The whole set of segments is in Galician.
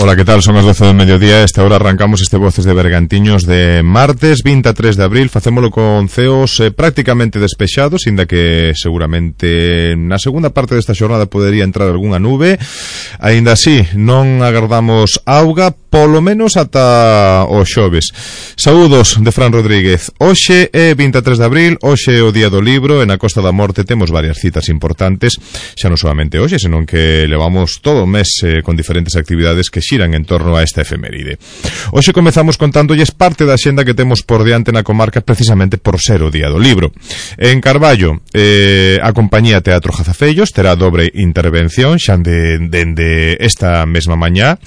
Ola, que tal? Son as 12 do mediodía. Esta hora arrancamos este Voces de Bergantiños de martes 23 de abril. Facémolo con ceos prácticamente despexados, inda que seguramente na segunda parte desta xornada podería entrar algunha nube. Aínda así, non agardamos auga, polo menos ata o xoves. Saúdos de Fran Rodríguez. Hoxe é 23 de abril, hoxe é o Día do Libro, e na Costa da Morte temos varias citas importantes, xa non solamente hoxe, senón que levamos todo o mes con diferentes actividades que xiran en torno a esta efeméride. Hoxe comezamos contándolles parte da xenda que temos por diante na comarca, precisamente por ser o Día do Libro. En Carballo, a compañía Teatro Jazafellos terá dobre intervención xa dende esta mesma mañá.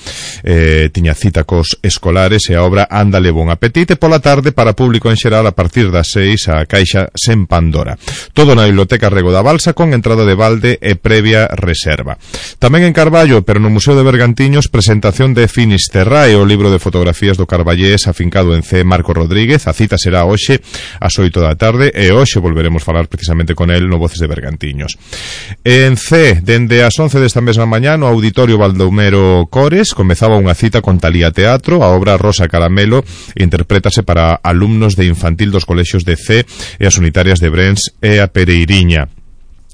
Tiña cita cos escolares e a obra Ándale bon apetite. Pola tarde, para público en xeral, a partir das 6, a Caixa sen Pandora. Todo na Biblioteca Rego da Balsa, con entrada de balde e previa reserva. Tamén en Carballo, pero no Museo de Bergantiños, presentación de Finisterrae, o libro de fotografías do carballés afincado en C. Marco Rodríguez. A cita será hoxe ás 8 da tarde, e hoxe volveremos falar precisamente con el no Voces de Bergantiños. En C, dende as 11 desta mesma mañá, no Auditorio Baldomero Cores, comezaba unha cita con Talía Teatro. A obra Rosa Caramelo interprétase para alumnos de infantil dos colexios de C e as unitarias de Brens e a Pereiriña.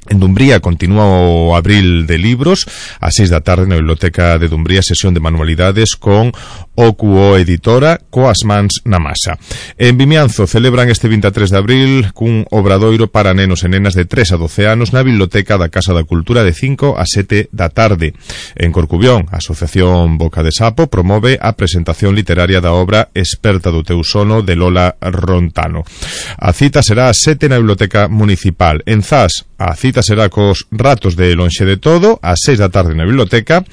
En Dumbría continúa o Abril de Libros, a 6 da tarde na Biblioteca de Dumbría, sesión de manualidades con OQO Editora, coas mans na masa. En Vimianzo celebran este 23 de abril cun obradoiro para nenos e nenas de 3 a 12 anos na Biblioteca da Casa da Cultura de 5 a 7 da tarde. En Corcubión, a Asociación Boca de Sapo promove a presentación literaria da obra Esperta do teu sono, de Lola Rontano. A cita será a 7 na Biblioteca Municipal. En Zas, a cita será cos ratos de Lonxe de Todo, a 6 da tarde na biblioteca.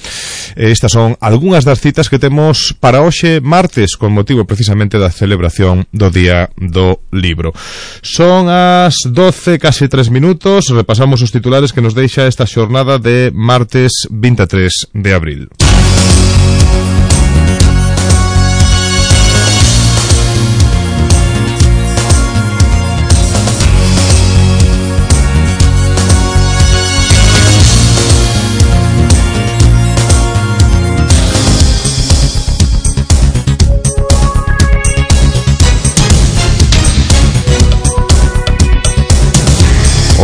Estas son algunhas das citas que temos para hoxe martes, con motivo precisamente da celebración do Día do Libro. Son as 12, casi 3 minutos. Repasamos os titulares que nos deixa esta xornada de martes 23 de abril.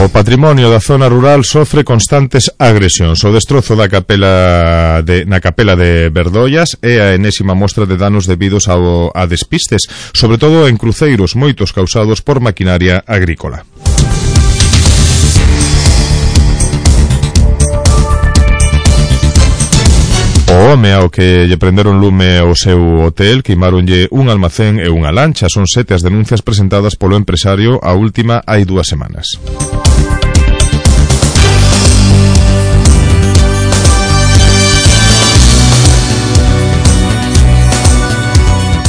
O patrimonio da zona rural sofre constantes agresións. O destrozo da na capela de Berdoias é a enésima mostra de danos debidos a despistes, sobre todo en cruceiros, moitos causados por maquinaria agrícola. O home ao que lle prenderon lume ao seu hotel, queimáronlle un almacén e unha lancha. Son 7 as denuncias presentadas polo empresario, a última hai 2 semanas.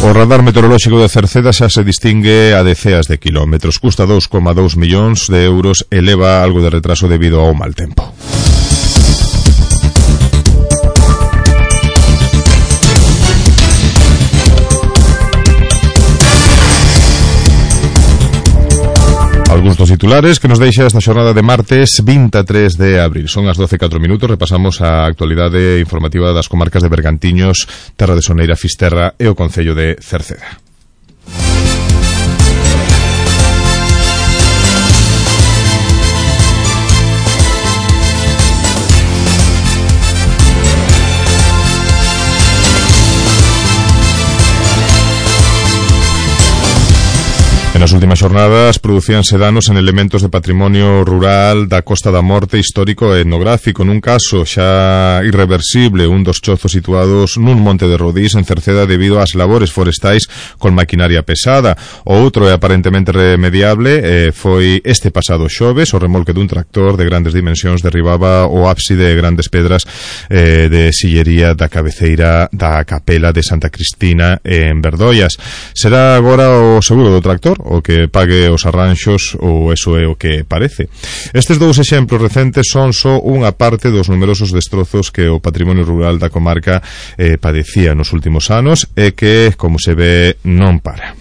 O radar meteorolóxico de Cerceda xa se distingue a deceas de kilómetros. Custa 2,2 millóns de euros e leva algo de retraso debido ao mal tempo. Algúns dos titulares que nos deixa esta xornada de martes 23 de abril. Son as 12:04 minutos. Repasamos a actualidade informativa das comarcas de Bergantiños, Terra de Soneira, Fisterra e o concello de Cerceda. Nas últimas xornadas producíanse danos en elementos de patrimonio rural da Costa da Morte, histórico e etnográfico. Nun caso xa irreversible, un dos chozos situados nun monte de Rodís, en Cerceda, debido ás labores forestais con maquinaria pesada. O outro é aparentemente remediable. Foi este pasado xoves, o remolque dun tractor de grandes dimensións derribaba o ábside de grandes pedras de sillería da cabeceira da capela de Santa Cristina en Berdoias. Será agora o seguro do tractor o que pague os arranxos, ou eso é o que parece. Estes 2 exemplos recentes son só unha parte dos numerosos destrozos que o patrimonio rural da comarca padecía nos últimos anos e que, como se ve, non para.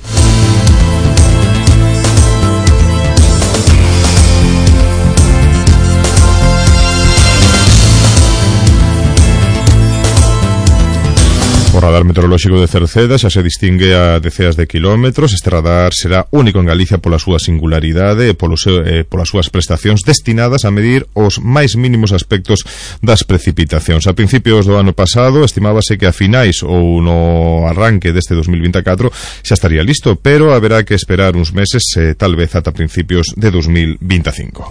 radar meteorolóxico de Cerceda xa se distingue a deceas de kilómetros. Este radar será único en Galicia pola súa singularidade e polas súas prestacións destinadas a medir os máis mínimos aspectos das precipitacións. A principios do ano pasado estimábase que a finais ou no arranque deste 2024 xa estaría listo, pero haberá que esperar uns meses, tal vez ata principios de 2025.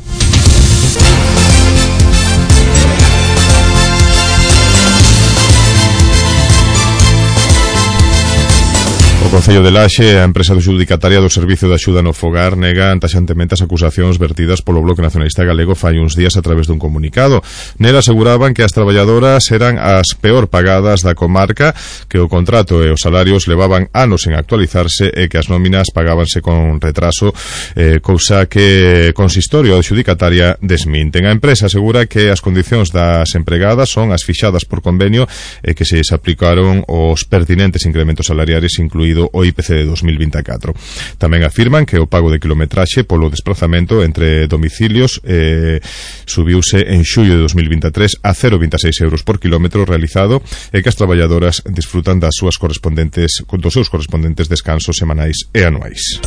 O Concello de Laxe, a empresa adxudicataria do Servicio de Axuda no Fogar, nega taxantemente as acusacións vertidas polo Bloque Nacionalista Galego fai uns días a través dun comunicado. Nela aseguraban que as traballadoras eran as peor pagadas da comarca, que o contrato e os salarios levaban anos en actualizarse e que as nóminas pagábanse con retraso, cousa que consistorio adxudicataria desminten. A empresa asegura que as condicións das empregadas son as fixadas por convenio e que se aplicaron os pertinentes incrementos salariares, incluído o IPC de 2024. Tamén afirman que o pago de kilometraxe polo desplazamento entre domicilios subiuse en xullo de 2023 a 0,26 euros por kilómetro realizado e que as traballadoras disfrutan dos seus correspondentes descansos semanais e anuais.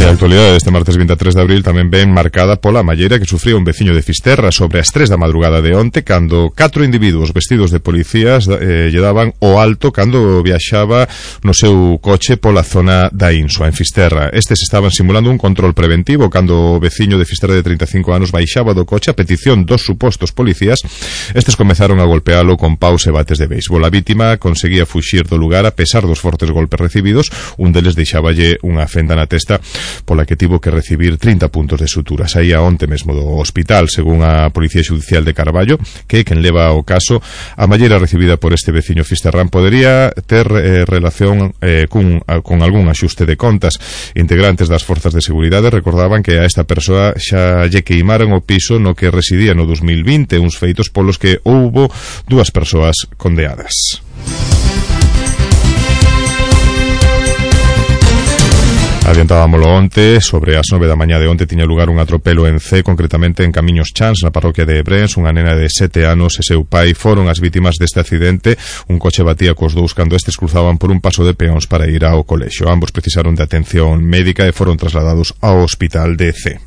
A actualidade deste martes 23 de abril tamén ven marcada pola malleira que sufría un veciño de Fisterra sobre as 3 da madrugada de onte, cando 4 individuos vestidos de policías lle daban o alto cando viaxaba no seu coche pola zona da Insua, en Fisterra. Estes estaban simulando un control preventivo cando o veciño de Fisterra de 35 anos baixaba do coche a petición dos supostos policías. Estes comezaron a golpealo con paus e bates de béisbol. A vítima conseguía fuxir do lugar a pesar dos fortes golpes recibidos. Un deles deixáballe unha fenda na testa pola que tivo que recibir 30 puntos de sutura. Saía onte mesmo do hospital, según a Policía Xudicial de Carballo, que quen leva o caso. A malleira recibida por este veciño fisterrán podería ter relación con algún axuste de contas. Integrantes das forzas de seguridade recordaban que a esta persoa xa lle queimaran o piso no que residía no 2020, uns feitos polos que houbo 2 persoas condeadas. Adiantábamolo onte, sobre as 9 da mañá de onte tiña lugar un atropelo en C, concretamente en Camiños Chans, na parroquia de Ebrens. Unha nena de 7 anos e seu pai foron as vítimas deste accidente. Un coche batía cos dous cando estes cruzaban por un paso de peóns para ir ao colexio. Ambos precisaron de atención médica e foron trasladados ao hospital de C.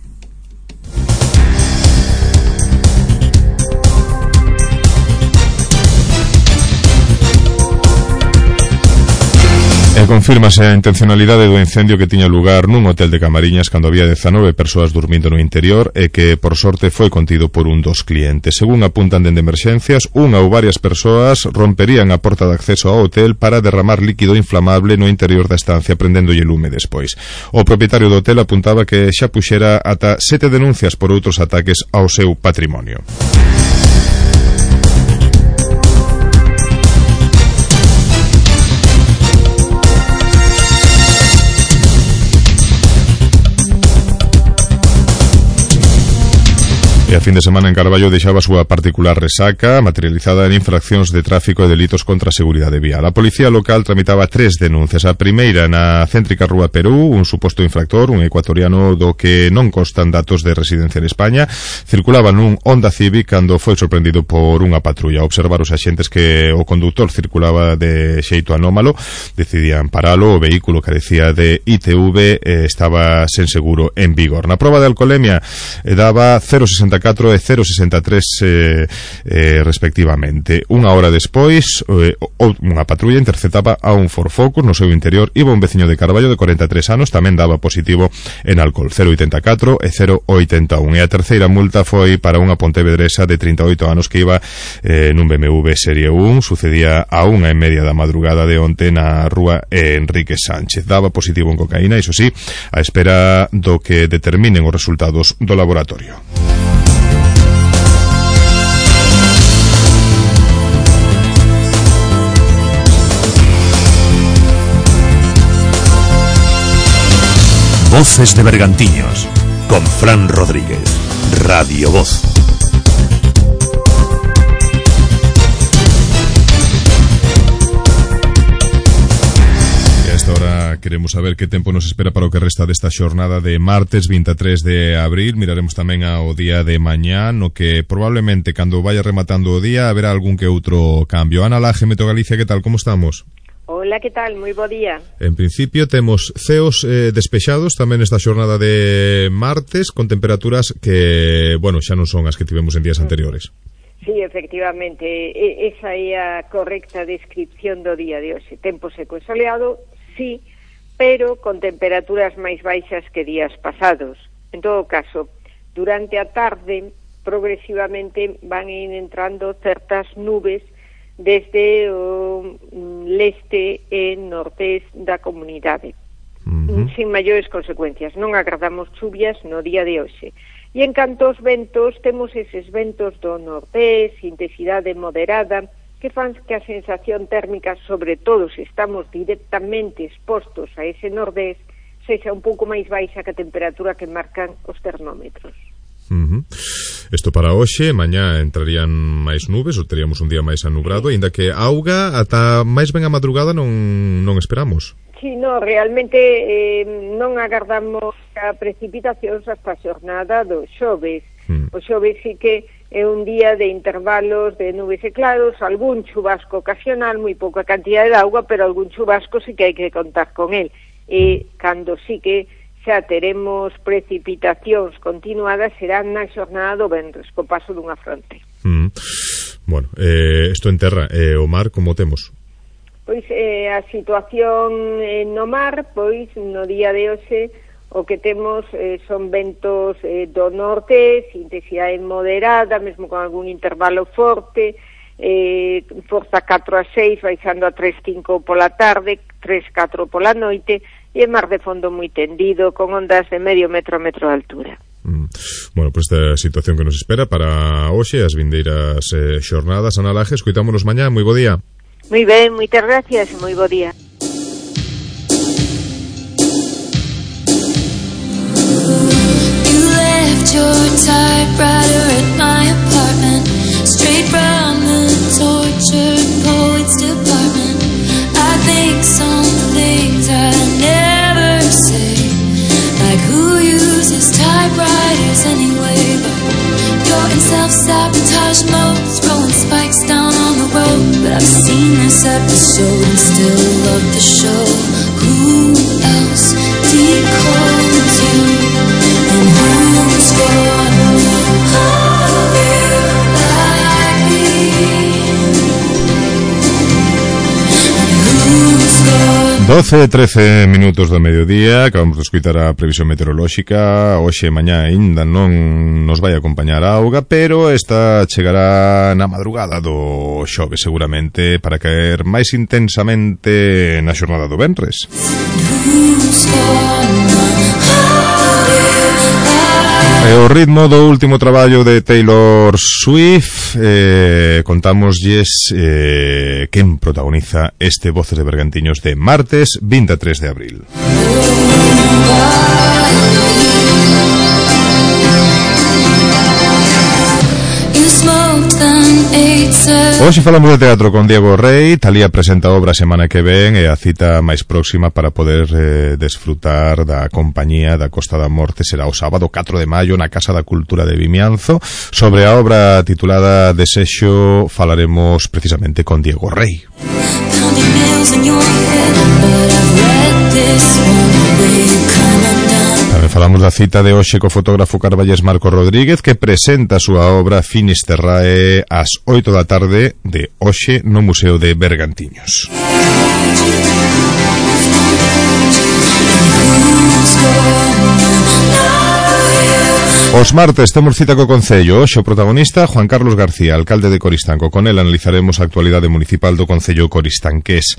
E confírmase a intencionalidade do incendio que tiña lugar nun hotel de Camariñas cando había 19 persoas dormindo no interior e que, por sorte, foi contido por un dos clientes. Según apuntan dende emerxencias, unha ou varias persoas romperían a porta de acceso ao hotel para derramar líquido inflamable no interior da estancia, prendéndolle lume despois. O propietario do hotel apuntaba que xa puxera ata 7 denuncias por outros ataques ao seu patrimonio. E a fin de semana en Carballo deixaba a súa particular resaca materializada en infraccións de tráfico e delitos contra a seguridade vial. A policía local tramitaba 3 denuncias. A primeira na céntrica Rúa Perú, un suposto infractor, un ecuatoriano do que non constan datos de residencia en España, circulaba nun Honda Civic cando foi sorprendido por unha patrulla. A observar os axentes que o conductor circulaba de xeito anómalo, decidían paralo. O vehículo carecía de ITV e estaba sen seguro en vigor. Na proba de alcolemia daba 0,64 e 0,63 respectivamente. Unha hora despois, unha patrulla interceptaba a un Ford Focus no seu interior. Iba un veciño de Carballo de 43 anos, tamén daba positivo en alcohol, 0,84 e 0,81. E a terceira multa foi para unha pontevedresa de 38 anos que iba nun BMW Serie 1. Sucedía a 1:30 da madrugada de onte na rúa Enrique Sánchez. Daba positivo en cocaína, iso sí, a espera do que determinen os resultados do laboratorio. Voces de Bergantiños, con Fran Rodríguez, Radio Voz. queremos saber que tempo nos espera para o que resta desta xornada de martes 23 de abril. Miraremos tamén ao día de mañá, no que probablemente cando vaya rematando o día haberá algún que outro cambio. Ana Laje, Meteo Galicia, que tal, como estamos? Hola, que tal? Moi bo día. En principio temos ceos despexados tamén esta xornada de martes, con temperaturas que, bueno, xa non son as que tivemos en días anteriores. Sí, efectivamente, esa é a correcta descripción do día de hoxe. Tempo seco e soleado, sí, pero con temperaturas máis baixas que días pasados. En todo caso, durante a tarde, progresivamente van ir entrando certas nubes desde o leste e nortés da comunidade, sin maiores consecuencias. Non agardamos chuvias no día de hoxe. E en canto aos ventos, temos eses ventos do nortés, intensidade moderada, que fan que a sensación térmica, sobre todo se estamos directamente expostos a ese nordés, sexa un pouco máis baixa que a temperatura que marcan os termómetros. Isto para hoxe, mañá entrarían máis nubes, ou teríamos un día máis anubrado, aínda que auga ata máis ben a madrugada non esperamos. Sí, no, realmente non agardamos a precipitacións hasta a xornada do xoves. O xoves sí que é un día de intervalos de nubes e claros, algún chubasco ocasional, moi pouca cantidad de auga, pero algún chubasco sí que hai que contar con el. E cando sí que xa teremos precipitacións continuadas será na xornada do venres, co paso dunha fronte. Bueno, isto en terra, o mar como temos? Pois a situación no mar, pois no día de hoxe o que temos son ventos do norte, intensidade moderada, mesmo con algún intervalo forte, forza 4 a 6, baixando a 3-5 pola tarde, 3-4 pola noite, e mar de fondo moi tendido, con ondas de medio metro a metro de altura. Bueno, pues esta situación que nos espera para hoxe, as vindeiras xornadas. Ana Laje, escoitámonos mañá, moi bo día. Moi ben, moitas gracias e moi bo día. You left your typewriter at my apartment, straight from the tortured poets department. I think some things I never say, like who uses typewriters anyway, but you're in self-sabotage mode, throwing spikes down on the road. But I've seen this episode and still love the show. Who else decodes you, and who's gonna hold you like me, and who's gonna 12-13 minutos do mediodía. Acabamos de escutar a previsión meteorolóxica. Hoxe e mañá ainda non nos vai acompañar a auga, pero esta chegará na madrugada do xoves seguramente, para caer máis intensamente na xornada do venres. E o ritmo do último traballo de Taylor Swift, contámoslles quen protagoniza este Voces de Bergantiños de martes 23 de abril. Hoxe falamos de teatro con Diego Rey. Talía presenta a obra a semana que ven, e a cita máis próxima para poder desfrutar da compañía da Costa da Morte será o sábado 4 de maio na Casa da Cultura de Vimianzo. Sobre a obra titulada Desexo falaremos precisamente con Diego Rey. Tamén falamos da cita de hoxe co fotógrafo carballés Marco Rodríguez, que presenta a súa obra Finisterrae ás 8 da tarde de hoxe no Museo de Bergantiños. Os martes temos cita co Concello. Hoxe o protagonista, Juan Carlos García, alcalde de Coristanco. Con el analizaremos a actualidade municipal do Concello coristanqués.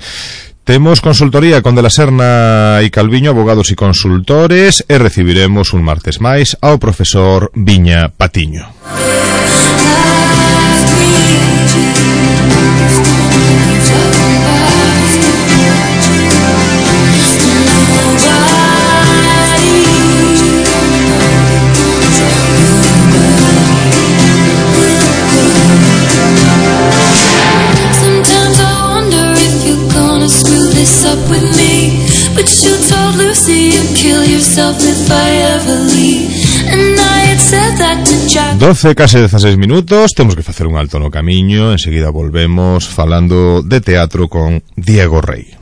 Temos consultoría con De la Serna e Calviño, abogados e consultores, e recibiremos un martes máis ao profesor Viña Patiño. Up with me, but you yourself if I ever leave. And I had said that to Jack. 12, case 16 minutos. Temos que facer un alto no camiño. Enseguida volvemos falando de teatro con Diego Rey.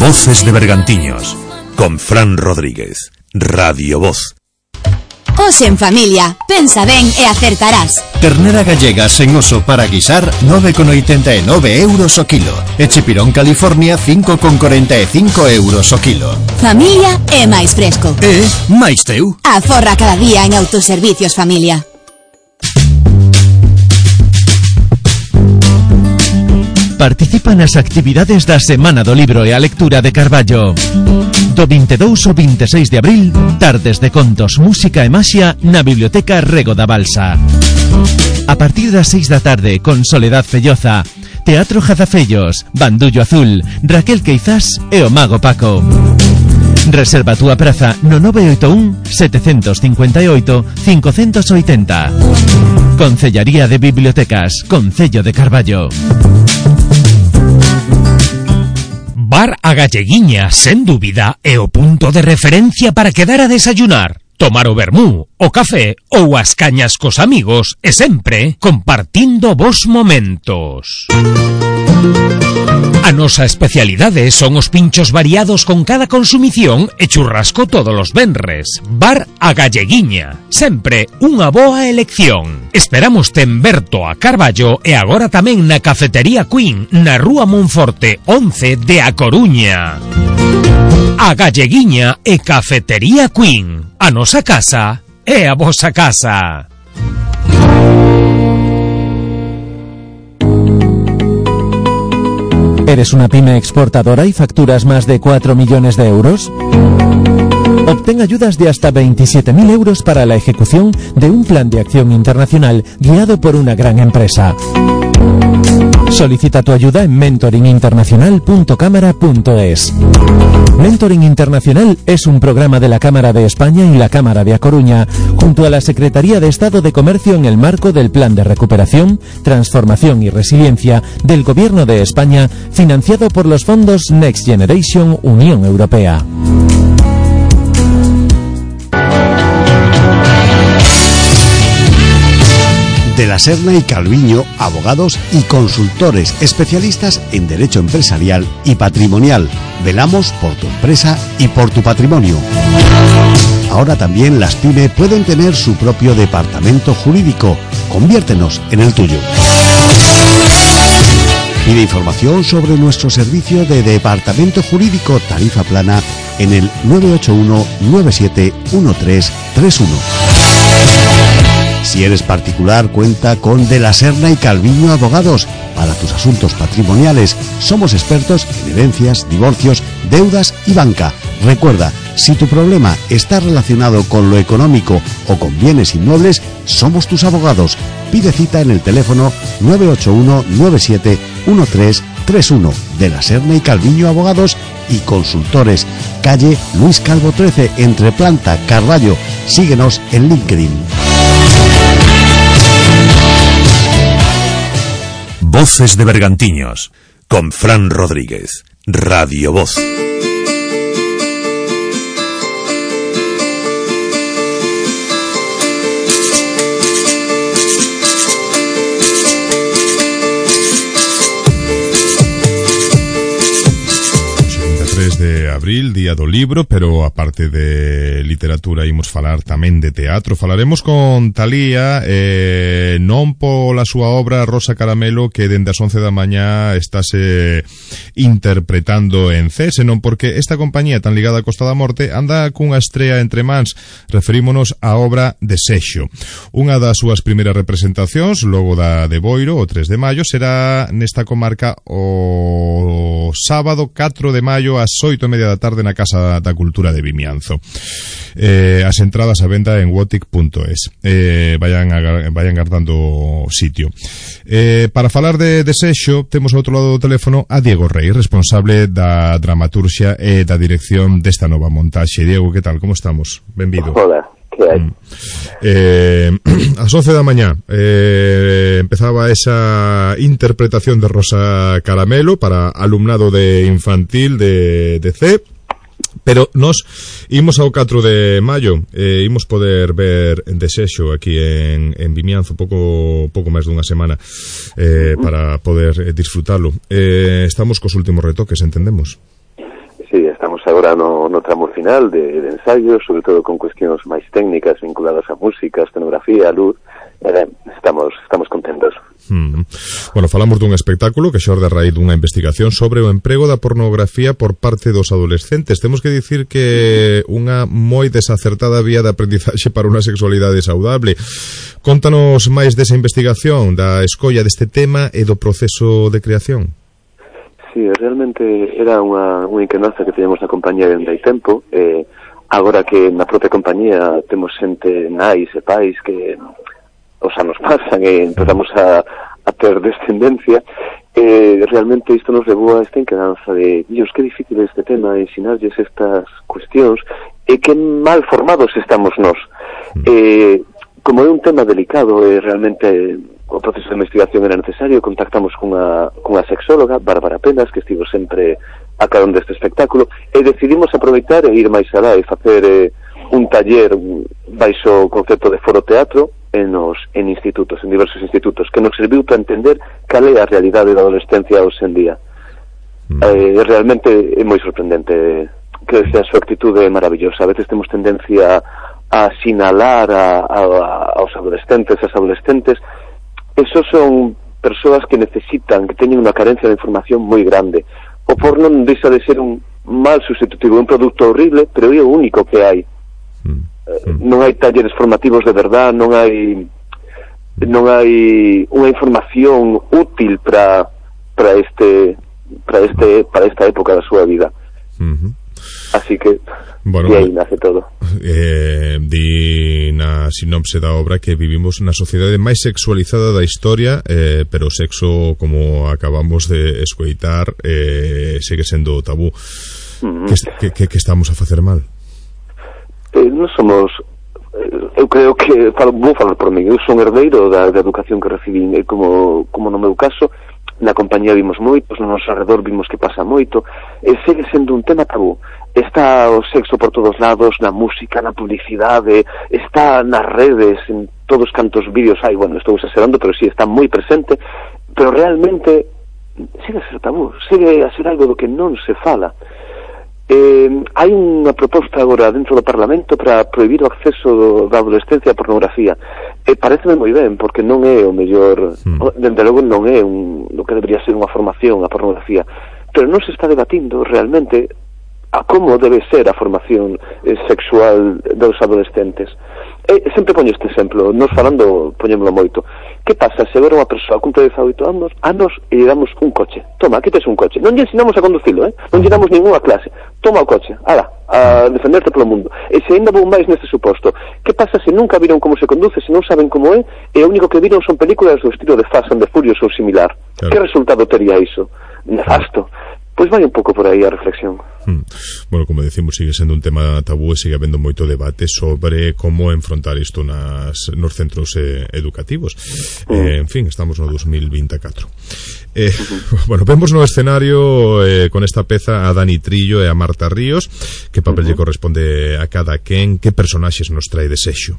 Voces de Bergantiños, con Fran Rodríguez, Radio Voz. Os en familia, pensa ben e acertarás. Ternera gallega sen oso para guisar 9,89 € o kilo. E chipirón California 5,45 € o kilo. Familia é máis fresco. E máis teu. Aforra cada día en Autoservicios Familia. Participa nas actividades da Semana do Libro e a Lectura de Carballo. Do 22 ao 26 de abril, tardes de contos, música e maxia na Biblioteca Rego da Balsa. A partir das 6 da tarde, con Soledad Felloza, Teatro Jazafellos, Bandullo Azul, Raquel Queizás e o Mago Paco. Reserva a túa praza no 981 758 580. Concellaría de Bibliotecas, Concello de Carballo. Bar A Galleguiña, sen dúbida, é o punto de referencia para quedar a desayunar, tomar o vermú, o café ou as cañas cos amigos e sempre compartindo bons momentos. A nosa especialidade son os pinchos variados con cada consumición e churrasco todos os venres. Bar A Galleguiña, sempre unha boa elección. Esperamos en Berto a Carballo e agora tamén na Cafetería Queen, na Rúa Monforte 11 de A Coruña. A Galleguiña e Cafetería Queen. A nosa casa é a vosa casa. ¿Eres una pyme exportadora y facturas más de 4 millones de euros? Obtén ayudas de hasta 27.000 euros para la ejecución de un plan de acción internacional guiado por una gran empresa. Solicita tu ayuda en mentoringinternacional.cámara.es. Mentoring Internacional es un programa de la Cámara de España y la Cámara de A Coruña, junto a la Secretaría de Estado de Comercio en el marco del Plan de Recuperación, Transformación y Resiliencia del Gobierno de España, financiado por los fondos Next Generation Unión Europea. De la Serna y Calviño, abogados y consultores especialistas en derecho empresarial y patrimonial. Velamos por tu empresa y por tu patrimonio. Ahora también las pymes pueden tener su propio departamento jurídico. Conviértenos en el tuyo. Pide información sobre nuestro servicio de departamento jurídico tarifa plana en el 981 97 1331. Si eres particular, cuenta con De la Serna y Calviño Abogados para tus asuntos patrimoniales. Somos expertos en herencias, divorcios, deudas y banca. Recuerda, si tu problema está relacionado con lo económico o con bienes inmuebles, somos tus abogados. Pide cita en el teléfono 981 97 1331. De la Serna y Calviño Abogados y Consultores, calle Luis Calvo 13, entre Planta, Carballo. Síguenos en LinkedIn. Voces de Bergantiños, con Fran Rodríguez, Radio Voz. De abril, Día do Libro, pero aparte de literatura imos falar tamén de teatro. Falaremos con Talía, non pola súa obra Rosa Caramelo, que dende as 11 da mañá estáse interpretando en CES, senón porque esta compañía tan ligada á Costa da Morte anda cunha estrea entre mans. Referímonos á obra de Sexo. Unha das súas primeiras representacións, logo da de Boiro, o 3 de maio, será nesta comarca o sábado 4 de maio ás 8:30 da tarde na Casa da Cultura de Vimianzo. As entradas a venda en wotic.es. Vayan guardando sitio. Para falar de desexo, temos ao outro lado do teléfono a Diego Rey, responsable da dramaturxia e da dirección desta nova montaxe. Diego, que tal? Como estamos? Benvido. Hola, que hai? Ás 11 da mañá empezaba esa interpretación de Rosa Caramelo para alumnado de infantil de C, pero nos imos ao 4 de maio, imos poder ver en desexo aquí en Vimianzo pouco máis dunha semana para poder disfrutalo. Estamos cos últimos retoques, entendemos? Sí, estamos agora no tramo final de ensayo, sobre todo con cuestións máis técnicas vinculadas a música, a escenografía, a luz. Estamos contentos. Bueno, falamos dun espectáculo que xorde a raíz dunha investigación sobre o emprego da pornografía por parte dos adolescentes. Temos que dicir que unha moi desacertada vía de aprendizaxe para unha sexualidade saudable. Contanos máis desa investigación, da escolla deste tema e do proceso de creación. Sí, realmente era unha inquedanza que teníamos na compañía dende hai tempo. Agora que na propia compañía temos xente nais e pais que os anos pasan e empezamos a ter descendencia, realmente isto nos levou a esta inquedanza de Dios, que difícil este tema, ensinarlles estas cuestións e que mal formados estamos nós. Como é un tema delicado e realmente o proceso de investigación era necesario, contactamos cunha sexóloga, Bárbara Penas, que estivo sempre a carón deste espectáculo, e decidimos aproveitar e ir máis alá e facer un taller baixo o concepto de foro teatro en institutos, en diversos institutos, que nos serviu para entender cal é a realidade da adolescencia hoxe en día. Realmente é moi sorprendente, que a súa actitude é maravillosa. A veces temos tendencia a sinalar aos adolescentes, as adolescentes. Esos son persoas que necesitan, que teñen unha carencia de información moi grande. O porno non deixa de ser un mal sustitutivo, un produto horrible, pero é o único que hai. Non hai talleres formativos de verdad, non hai unha información útil para esta época da súa vida. Así que bueno, aí nace todo. Di na sinopse da obra que vivimos na sociedade máis sexualizada da historia, pero o sexo, como acabamos de escoitar, segue sendo tabú. Que estamos a facer mal? Non somos... eu creo que vou falar por mí, eu son herdeiro da educación que recibín, e como no meu caso, na compañía vimos moitos, no noso alrededor vimos que pasa moito, e segue sendo un tema tabú. Está o sexo por todos lados, na música, na publicidade, está nas redes, en todos cantos vídeos hai, bueno, estou exagerando, pero sí, está moi presente, pero realmente segue a ser tabú, segue a ser algo do que non se fala. Hai unha proposta agora dentro do Parlamento para prohibir o acceso da adolescencia a pornografía, e pareceme moi ben, porque non é o mellor, dende logo non é o que debería ser unha formación a pornografía, pero non se está debatindo realmente a como debe ser a formación sexual dos adolescentes. Sempre poño este exemplo, nos falando poñémolo moito. Que pasa se agora unha persoa cumple 18 anos e lle damos un coche? Toma, aquí tes un coche. Non lle ensinamos a conducilo, non lle damos ninguna clase. Toma o coche, ala, a defenderte polo mundo. E se ainda vou máis neste suposto, que pasa se nunca viron como se conduce, se non saben como é, e o único que viron son películas do estilo de Fast and the Furious ou similar? Claro. Que resultado tería iso? Nefasto. Pois vai un pouco por aí a reflexión. Bueno, como decimos, sigue sendo un tema tabú e sigue habendo moito debate sobre como enfrontar isto nos centros educativos. En fin, estamos no 2024. Bueno, vemos no escenario con esta peza a Dani Trillo e a Marta Ríos. Que papel lle corresponde a cada quen? Que personaxes nos trae desexo?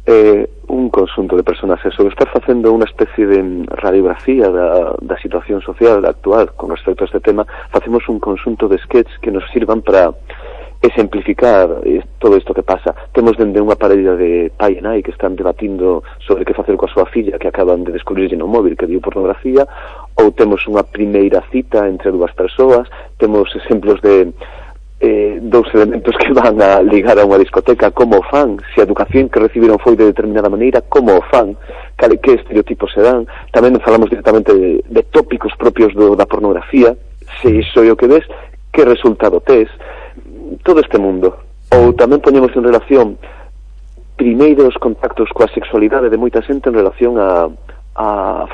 Un conxunto de personaxes. Sobre estar facendo unha especie de radiografía da situación social actual con respecto a este tema, facemos un conxunto de sketches que nos sirvan para exemplificar todo isto que pasa. Temos dende unha parella de pai e nai que están debatindo sobre que facer coa súa filla que acaban de descubrirlle no móvil que viu pornografía, ou temos unha primeira cita entre dúas persoas, temos exemplos de dous elementos que van a ligar a unha discoteca, como o fan, se a educación que recibiron foi de determinada maneira, como o fan, que estereotipos se dan. Tamén falamos directamente de tópicos propios da pornografía, se iso é o que ves, que resultado tes. todo este mundo. Ou tamén poñemos en relación primeiros contactos coa sexualidade de moita xente en relación a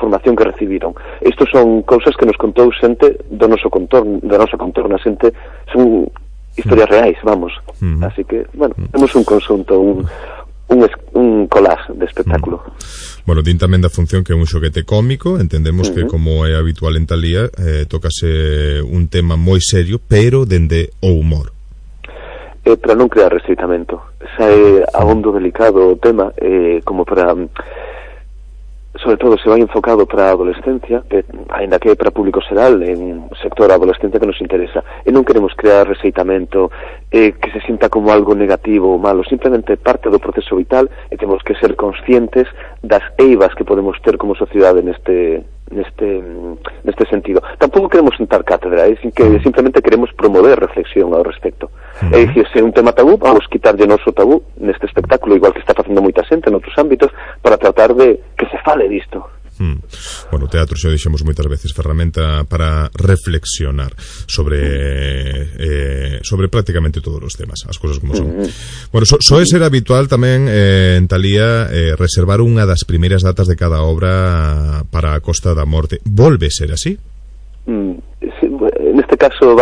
formación que recibiron. Estos son cousas que nos contou xente do noso contorno, a xente, son historias reais, vamos. Así que, bueno, temos un conxunto, un collage de espectáculo. Bueno, din tamén da función que é un xoguete cómico. Entendemos que, como é habitual en Talía, tócase un tema moi serio, pero dende o humor. Para non crear restreitamento. Xa é abondo delicado o tema, como para... sobre todo se vai enfocado para a adolescencia, ainda que é para público xeral, en sector adolescente que nos interesa, e non queremos crear rexeitamento que se sinta como algo negativo ou malo, simplemente parte do proceso vital, e temos que ser conscientes das eivas que podemos ter como sociedade neste sentido. Tampouco queremos sentar cátedra, que simplemente queremos promover reflexión ao respecto. É dicir, se é un tema tabú, vamos quitarlle noso tabú neste espectáculo, igual que está facendo moita xente en outros ámbitos, para tratar de que se fale disto. Bueno, o teatro xa dixemos moitas veces ferramenta para reflexionar sobre prácticamente todos os temas, as cousas como son. Bueno, soe ser habitual tamén en Talía reservar unha das primeiras datas de cada obra para a Costa da Morte. Volve ser así? Sí, neste caso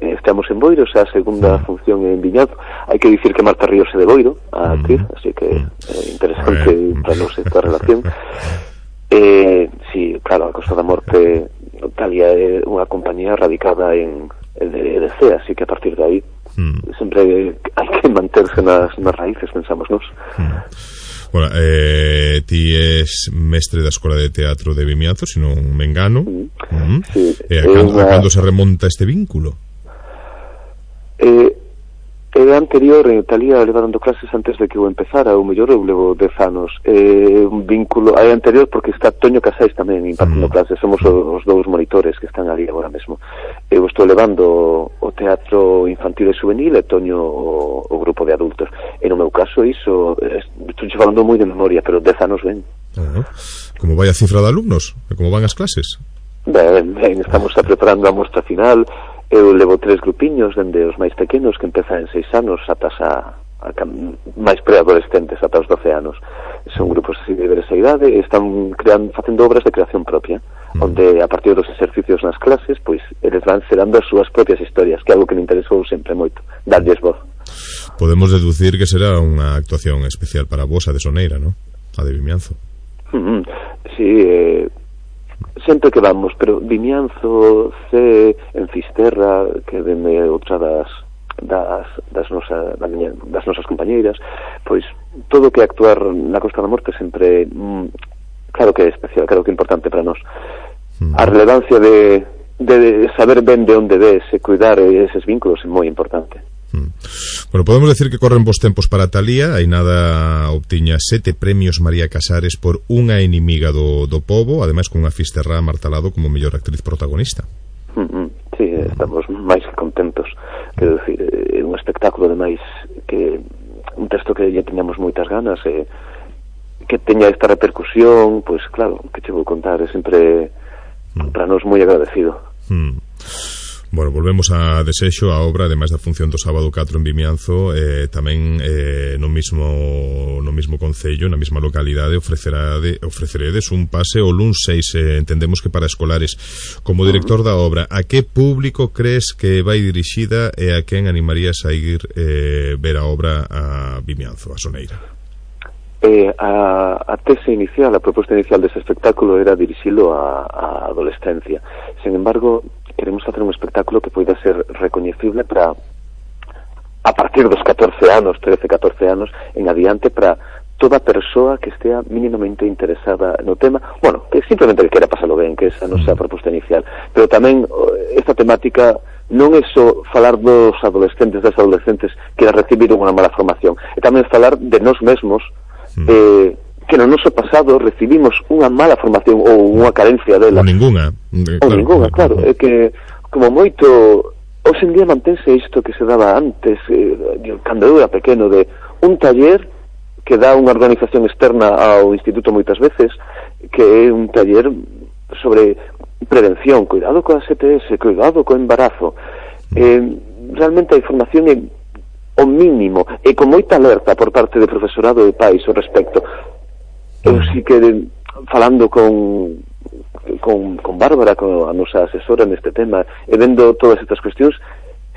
estamos en Boiro, xa a segunda función en Viñazo. Hai que dicir que Marta Ríos é de Boiro, a actriz, así que interesante para nós esta relación. Sí, claro, a Costa da Morte Talía é unha compañía radicada en EDC, así que a partir de aí sempre hai que manterse nas raíces, pensamos nós. Bueno, ti és mestre da Escola de Teatro de Vimianzo, se non me engano. Sí, a cando se remonta este vínculo? É anterior, en Talía levando clases antes de que eu empezara, ou mellor eu levo 10 anos. Un vínculo, é anterior porque está Toño Casais tamén impartindo clases, somos os dous monitores que están ali agora mesmo. Eu estou levando o teatro infantil e juvenil e Toño o grupo de adultos. E no meu caso iso, estou falando moi de memoria, pero 10 anos ben. Como vai a cifra de alumnos? E como van as clases? Ben, estamos preparando a mostra final. Eu levo 3 grupiños, dende os máis pequenos, que empezan en 6 anos, ata máis preadolescentes, ata os 12 anos. Son grupos así de diversa idade, e están facendo obras de creación propia, onde a partir dos exercicios nas clases, pois eles van xerando as súas propias historias, que é algo que me interesou sempre moito, darlles voz. Podemos deducir que será unha actuación especial para vos, a de Soneira, non? A de Vimianzo. Sí, sempre que vamos, pero Vimianzo, en Fisterra, que veme outra das nosas compañeiras, pois todo que actuar na Costa da Morte sempre, claro que é especial, claro que é importante para nós. A relevancia de saber ben de onde ves e cuidar eses vínculos é moi importante. Bueno, podemos decir que corren bons tempos para Talía. Hai nada obtiña 7 premios María Casares por Unha inimiga do pobo, ademais con unha Fisterra Martalado como mellor actriz protagonista. Sí, estamos máis que contentos. Quero dicir, é un espectáculo ademais que un texto que ya teñamos moitas ganas e que teña esta repercusión, pois claro, que che vou contar, é sempre para nós moi agradecido. Bueno, volvemos a Desexo, a obra, ademais da función do sábado 4 en Vimianzo, tamén no mismo concello, na mesma localidade, ofreceredes un pase o luns 6, entendemos que para escolares. Como director da obra, a que público crees que vai dirixida e a quen animarías a ir ver a obra a Vimianzo, a Soneira? A tese inicial, a proposta inicial dese espectáculo era dirixilo a adolescencia. Sin embargo, queremos facer un espectáculo que poida ser recoñecible para a partir dos 14 anos, 13-14 anos en adiante, para toda persoa que estea mínimamente interesada no tema, bueno, que simplemente que quera pasalo ben, que esa non sea a proposta inicial, pero tamén esta temática non é só falar dos adolescentes, das adolescentes que recibiron unha mala formación, e tamén falar de nós mesmos, que no noso pasado recibimos unha mala formación ou unha carencia dela. Ou ninguna. Claro. É que, como moito, hoxe en día mantense isto que se daba antes, cando eu era pequeno, de un taller que dá unha organización externa ao instituto moitas veces, que é un taller sobre prevención, cuidado coa STS, cuidado co embarazo. Realmente a información é o mínimo, e con moita alerta por parte de profesorado e pais ao respecto. Eu sí que, falando con Bárbara, con a nosa asesora neste tema, e vendo todas estas cuestións,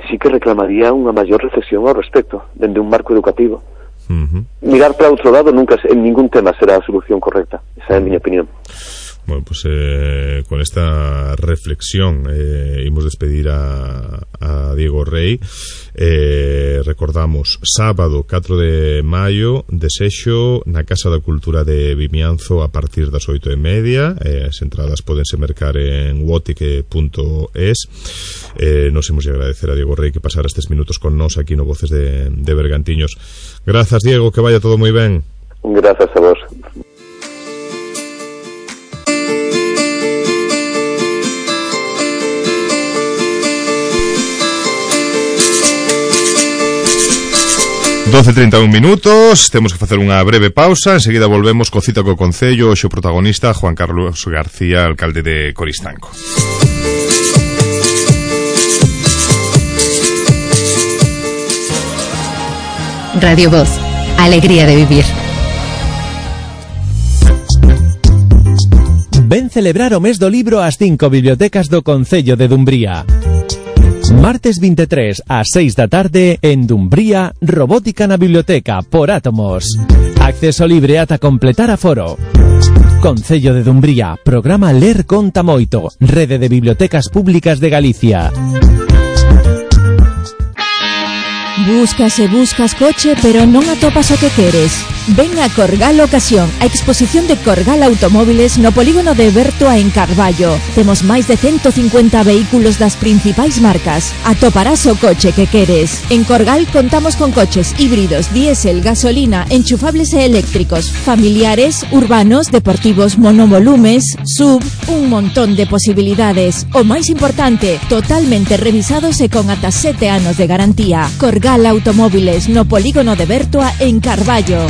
sí que reclamaría unha maior reflexión ao respecto, dende un marco educativo. Mirar para outro lado nunca, en ningún tema, será a solución correcta. Esa é a miña opinión. Bueno, pues con esta reflexión imos despedir a Diego Rey. Recordamos, sábado 4 de maio, desexo na Casa da Cultura de Vimianzo a partir das 8:30. As entradas pódense mercar en wotic.es. Nos imos agradecer a Diego Rey que pasara estes minutos con nós aquí no Voces de Bergantiños. Grazas, Diego, que vaya todo moi ben. Grazas a vos. ...12:31 minutos, temos que facer unha breve pausa, enseguida volvemos co Cita co Concello, o protagonista Juan Carlos García, alcalde de Coristanco. Radio Voz, alegría de vivir. Ven celebrar o mes do libro ás 5 bibliotecas do Concello de Dumbría. Martes 23 ás 6 da tarde en Dumbría, Robótica na Biblioteca por átomos. Acceso libre ata completar aforo. Concello de Dumbría, programa Ler Conta Moito, Rede de Bibliotecas Públicas de Galicia. Buscas e buscas coche, pero non atopas o que queres. Ven a Corgal Ocasión, a exposición de Corgal Automóviles no polígono de Bertoa en Carballo. Temos máis de 150 vehículos das principais marcas. Atoparás o coche que queres. En Corgal contamos con coches híbridos, diésel, gasolina, enchufables e eléctricos, familiares, urbanos, deportivos, monovolumes, sub, un montón de posibilidades. O máis importante, totalmente revisados e con ata 7 anos de garantía. Corgal Automóviles no polígono de Bertoa en Carballo.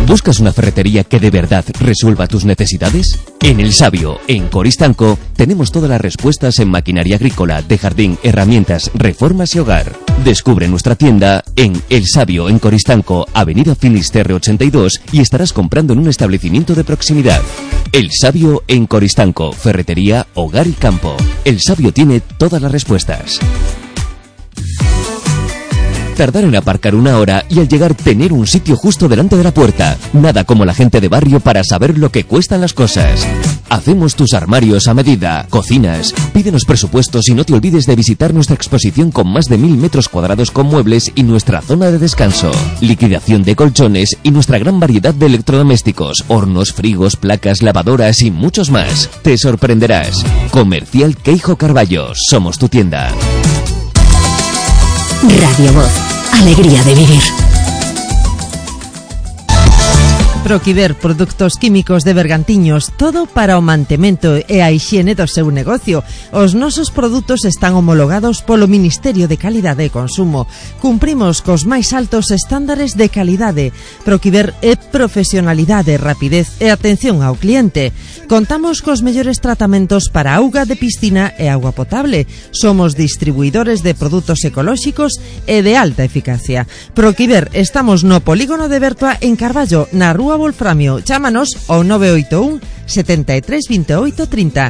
¿Buscas una ferretería que de verdad resuelva tus necesidades? En El Sabio, en Coristanco, tenemos todas las respuestas en maquinaria agrícola, de jardín, herramientas, reformas y hogar. Descubre nuestra tienda en El Sabio, en Coristanco, Avenida Finisterre 82, y estarás comprando en un establecimiento de proximidad. El Sabio en Coristanco, ferretería, hogar y campo. El Sabio tiene todas las respuestas. Tardar en aparcar 1 hora y al llegar tener un sitio justo delante de la puerta. Nada como la gente de barrio para saber lo que cuestan las cosas. Hacemos tus armarios a medida, cocinas. Pídenos presupuestos y no te olvides de visitar nuestra exposición con más de 1000 metros cuadrados con muebles y nuestra zona de descanso. Liquidación de colchones y nuestra gran variedad de electrodomésticos, hornos, frigos, placas, lavadoras y muchos más. Te sorprenderás. Comercial Queijo Carballo. Somos tu tienda. Radio Voz, alegría de vivir. Proquiver, produtos químicos de Bergantiños, todo para o mantemento e a hixiene do seu negocio. Os nosos produtos están homologados polo Ministerio de Calidade e Consumo. Cumprimos cos máis altos estándares de calidade. Proquiver é profesionalidade, rapidez e atención ao cliente. Contamos cos mellores tratamentos para auga de piscina e auga potable. Somos distribuidores de produtos ecolóxicos e de alta eficacia. Proquiver, estamos no polígono de Bertoa en Carballo, na rúa Wolframio. Chámanos ao 981 73 28 30.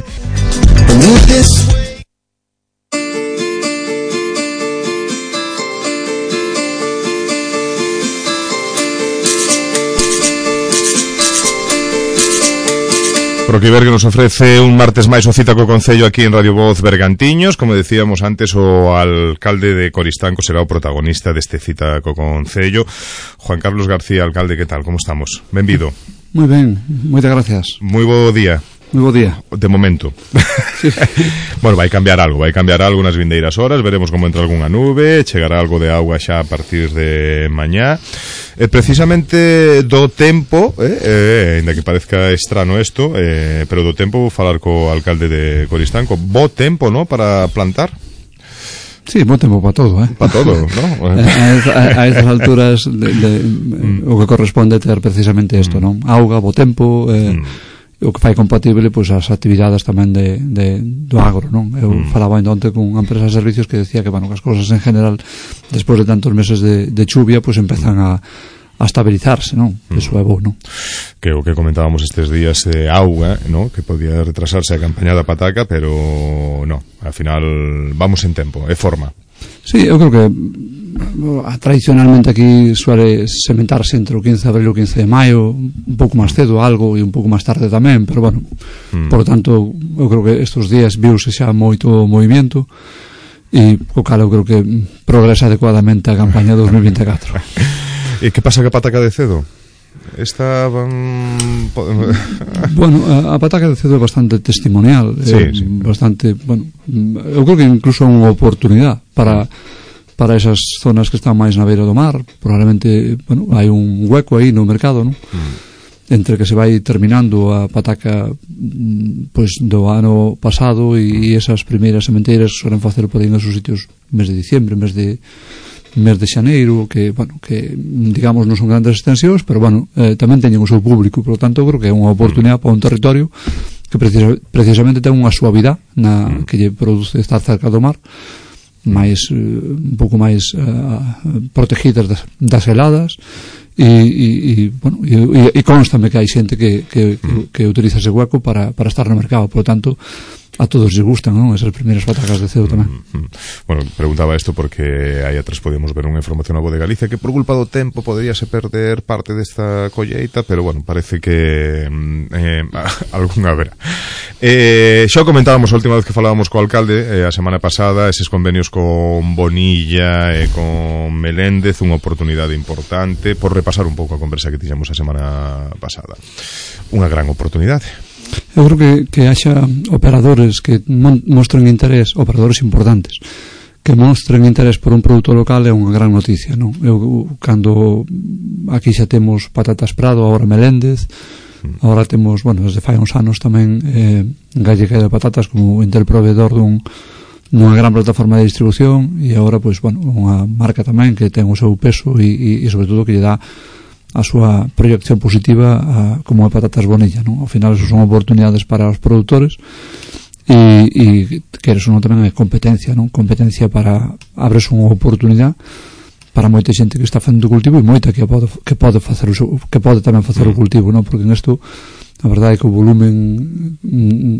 Proquiver, que nos ofrece un martes máis o Cita co Concello aquí en Radio Voz Bergantiños. Como decíamos antes, o alcalde de Coristanco será o protagonista deste Cita co Concello. Juan Carlos García, alcalde, que tal? Como estamos? Benvido. Moi ben, moitas gracias. Moi bo día. Moi bo día. De momento. Sí. Bueno, vai cambiar algo nas vindeiras horas, veremos como entra algunha nube, chegará algo de auga xa a partir de mañá. Precisamente do tempo, ainda que parezca estrano isto, pero do tempo vou falar co alcalde de Coristanco. Bo tempo, ¿no?, para plantar. Sí, bo tempo para todo, Para todo, ¿no? A estas alturas o que corresponde ter precisamente isto, non? Auga, bo tempo, o que fai compatible pois as actividades tamén do agro, non? Eu falaba onte con unha empresa de servicios que decía que, bueno, que as cousas en general despois de tantos meses de chuvia pois empezan a estabilizarse, non? Eso é bo, non? Que o que comentábamos estes días de auga, non? Que podía retrasarse a campaña da pataca, pero non, ao final vamos en tempo, é forma. Sí, eu creo que tradicionalmente aquí suele sementarse entre o 15 de abril e o 15 de maio, un pouco máis cedo algo e un pouco máis tarde tamén, pero bueno, por lo tanto eu creo que estes días viuse xa moito movimento e o cal eu creo que progresa adecuadamente a campaña 2024. E que pasa ca pataca de cedo? Bueno, a pataca de cedo é bastante testimonial, sí. Bastante, bueno, eu creo que incluso é unha oportunidade para esas zonas que están máis na beira do mar. Probablemente, bueno, hai un hueco aí no mercado, non? Entre que se vai terminando a pataca pois do ano pasado e esas primeiras sementeiras suelen facer por aí nos seus sitios mes de diciembre, mes de xaneiro, que, bueno, que digamos non son grandes extensións, pero bueno, tamén teñen o seu público, por lo tanto creo que é unha oportunidade para un territorio que precisamente ten unha suavidade que lle produce estar cerca do mar, máis un pouco máis protegidas das heladas e bueno, e constame que hai xente que utiliza ese hueco para estar no mercado, por lo tanto a todos les gustan, non? Esas primeiras patacas de cedo tamén. Bueno, preguntaba isto porque aí atrás podíamos ver unha información na Voz de Galicia que por culpa do tempo poderíase perder parte desta colleita, pero bueno, parece que algunha haberá. Xa comentábamos a última vez que falábamos co alcalde a semana pasada, eses convenios con Bonilla e con Meléndez, unha oportunidade importante por repasar un pouco a conversa que tiñamos a semana pasada. Unha gran oportunidade. Eu creo que haxa operadores que mostren interés, operadores importantes que mostren interés por un produto local é unha gran noticia, non? Eu, cando aquí xa temos Patatas Prado, agora Meléndez, agora temos, bueno, desde fai uns anos tamén Gallega de Patatas como interproveedor dunha gran plataforma de distribución e agora, pois, bueno, unha marca tamén que ten o seu peso e sobre todo que lle dá a súa proyección positiva como a Patatas Bonilla, non? Ao final, eso son oportunidades para os produtores e que eso non tamén é competencia, non? Competencia para abres unha oportunidade para moita xente que está facendo o cultivo e moita que pode tamén facer o cultivo, non? Porque en isto a verdade é que o volumen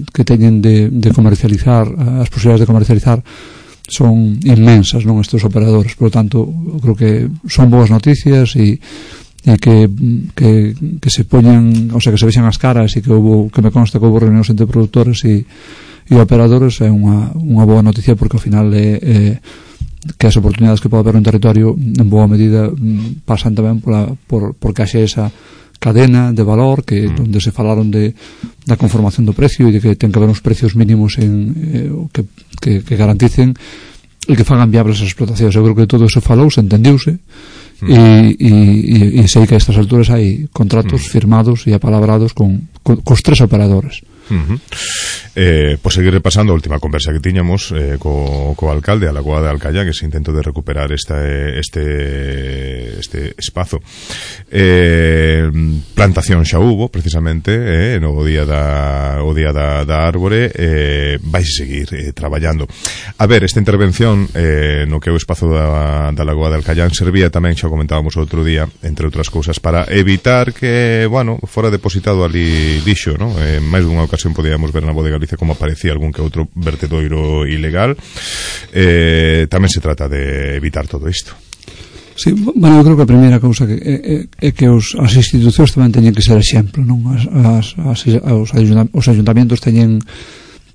que teñen de comercializar, as posibilidades de comercializar son inmensas, non? Estes operadores, por lo tanto, eu creo que son boas noticias e que se poñen, o sea, que se vexan as caras e que me consta que houve reunións entre produtores e operadores é unha boa noticia porque ao final que as oportunidades que pode haber un territorio en boa medida pasan tamén porque haxe esa cadena de valor que onde se falaron da conformación do precio e de que ten que haber uns precios mínimos que garanticen e que fagan viables as explotacións. Eu creo que todo eso falouse, entendiuse e sei que a estas alturas hai contratos firmados e apalabrados cos tres operadores. Por seguir repasando a última conversa que tiñamos co alcalde a Lagoa de Alcallá, que se intento de recuperar este espazo, plantación xa hubo precisamente no día da árbore, vais seguir traballando. A ver, esta intervención no que é o espazo da Lagoa de Alcallá servía tamén, xa comentábamos outro día, entre outras cousas, para evitar que, bueno, fora depositado ali lixo, non? Máis dunha ocasión podíamos ver na Voz de Galicia como aparecía algún que outro vertedoiro ilegal. Tamén se trata de evitar todo isto. Sí, bueno, eu creo que a primeira cousa é que as institucións tamén teñen que ser exemplo, non? Os ayuntamientos teñen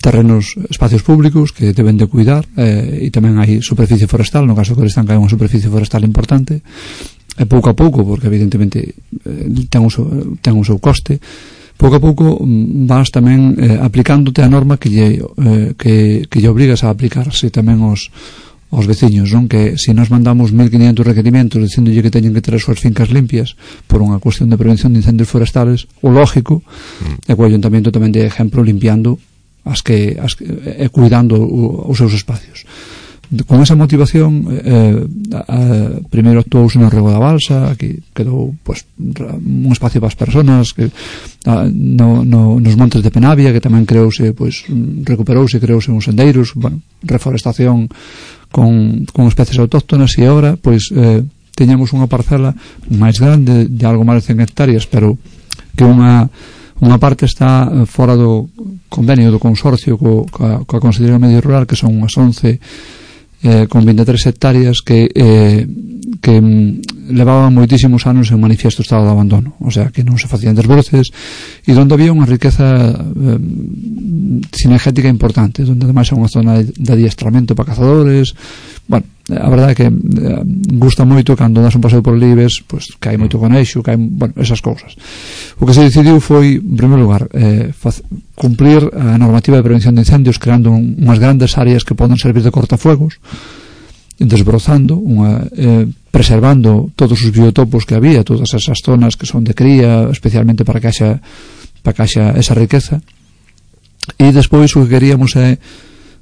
terrenos, espacios públicos que deben de cuidar e tamén hai superficie forestal, no caso que Orestanca hai unha superficie forestal importante e pouco a pouco, porque evidentemente ten un seu coste, pouco a pouco vas tamén aplicándote a norma que lle obrigas a aplicarse tamén aos veciños, non? Que se nos mandamos 1500 requerimentos dicíndolle que teñen que ter as súas fincas limpias por unha cuestión de prevención de incendios forestales, o lógico é que o ayuntamiento tamén de exemplo limpiando e cuidando os seus espacios. con esa motivación primeiro actuouse no Rego da Balsa, que quedou pues, un espacio para as persoas, que nos montes de Penavia, que tamén creouse, pues, recuperouse, creouse uns sendeiros, bueno, reforestación con especies autóctonas, e agora pois teñamos unha parcela máis grande de algo máis de 100 hectáreas, pero que unha parte está fora do convenio do consorcio coa Consellería do Medio Rural, que son unhas 11 con 23 hectáreas que levaban moitísimos anos en manifiesto estado de abandono, o sea, que non se facían desbroces, e onde había unha riqueza cinegética importante, onde ademais é unha zona de adiestramento para cazadores. Bueno, a verdade é que gusta moito cando das un paseo por Libes, pues, que hai moito conexo, que hai, bueno, esas cousas. O que se decidiu foi, en primeiro lugar, cumplir a normativa de prevención de incendios, creando unhas grandes áreas que poden servir de cortafuegos, desbrozando, preservando todos os biotopos que había, todas esas zonas que son de cría, especialmente para que haxa esa riqueza. E despois o que queríamos é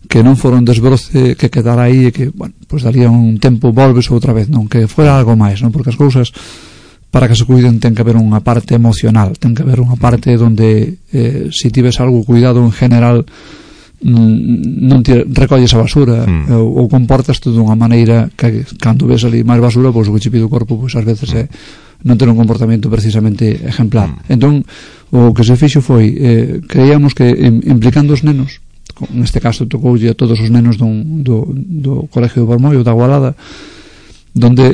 que non fora un desbroce que quedara aí e que, bueno, pues daría un tempo volves outra vez, non, que fora algo máis, non, porque as cousas para que se cuiden ten que haber unha parte emocional, ten que haber unha parte onde se tives algo cuidado en general non recolles a basura ou comportas de unha maneira que cando ves ali máis basura, pois o que che pide o corpo pois ás veces é non ter un comportamento precisamente ejemplar. Entón o que se fixo foi creíamos que implicando os nenos, neste caso tocoulle a todos os nenos do Colegio de Bormollo, da Gualada, donde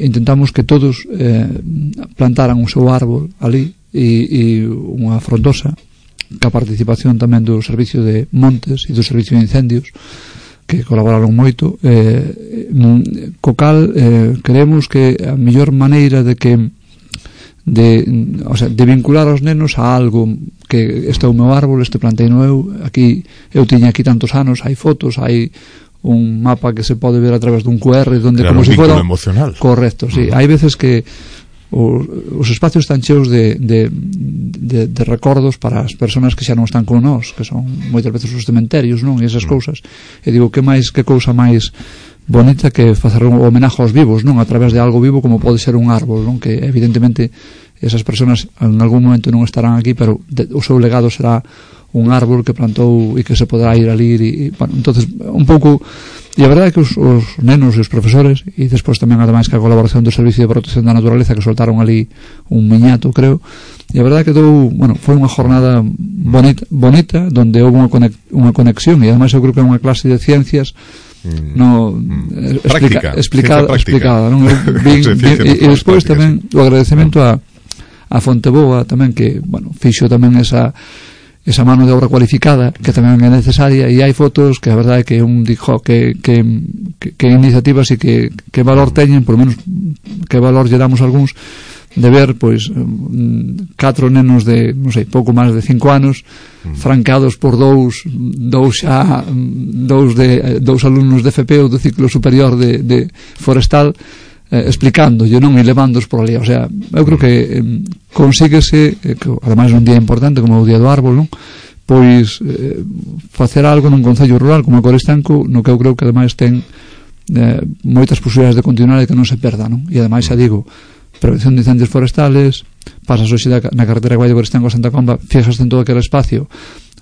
intentamos que todos plantaran o seu árbol ali e unha frondosa, ca participación tamén do Servicio de Montes e do Servicio de Incendios, que colaboraron moito, co cal creemos que a mellor maneira de vincular aos nenos a algo que este é o meu árbol, este plantei no eu tiña aquí tantos anos, hai fotos, hai un mapa que se pode ver a través dun QR donde crear como se fora emocional. Correcto, sí. Hai veces que os espacios están cheos de recordos para as persoas que xa non están con nós, que son moitas veces os cementerios, non? E esas cousas. E digo, que cousa máis bonita que facer un homenaje aos vivos, non? A través de algo vivo como pode ser un árbol, non? Que evidentemente esas persoas en algún momento non estarán aquí, pero o seu legado será un árbol que plantou e que se poderá ir ali e bueno, entonces un pouco. E a verdade é que os nenos e os profesores, e despois tamén ademais que a colaboración do Servicio de Protección da Naturaleza, que soltaron ali un miñato, creo, e a verdade é que foi unha jornada bonita donde houve unha conexión, e ademais eu creo que é unha clase de ciencias explicada, non? E despois tamén o agradecemento a Fonteboa tamén, que, bueno, fixo tamén esa mano de obra cualificada que tamén é necesaria, e hai fotos que a verdade é que un dijo que iniciativas e que valor teñen, por menos que valor lle damos algúns, de ver pois 4 nenos de, non sei, pouco máis de 5 anos francados por dous alumnos de FP ou do ciclo superior de forestal, explicándolle, non, e levándoos por ali. O sea, eu creo que consíguese, que ademais un día importante como o Día do Árbol, non, pois facer algo nun concello rural como o Coristanco, no que eu creo que ademais ten moitas posibilidades de continuar e que non se perda, non? E ademais xa digo, prevención de incendios forestales, pasas hoxe na carretera que vai de Coristanco a Santa Comba, fixas en todo aquele espacio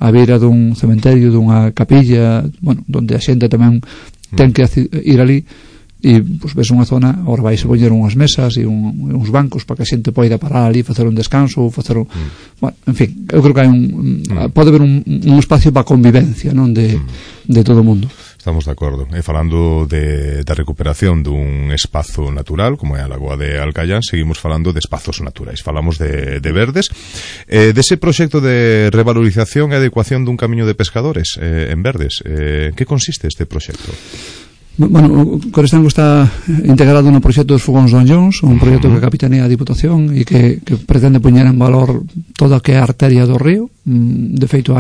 a beira dun cementerio, dunha capilla, bueno, donde a xente tamén ten que ir ali, e pues, ves unha zona, agora vais a poñer unhas mesas e uns bancos para que a xente poida parar ali, facer un descanso, facer bueno, en fin, eu creo que hai pode haber un espacio para a convivencia, non, de todo o mundo. Estamos de acordo. E falando da recuperación dun espazo natural como é a Lagoa de Alcayán, seguimos falando de espazos naturais. Falamos de verdes, dese proxecto de revalorización e adecuación dun camiño de pescadores en verdes. Que consiste este proxecto? Bueno, o Coristanco está integrado no proxecto dos Fogóns Don Jones, un proxecto que capitanea a Diputación e que pretende poñer en valor toda a que é a arteria do río. De feito,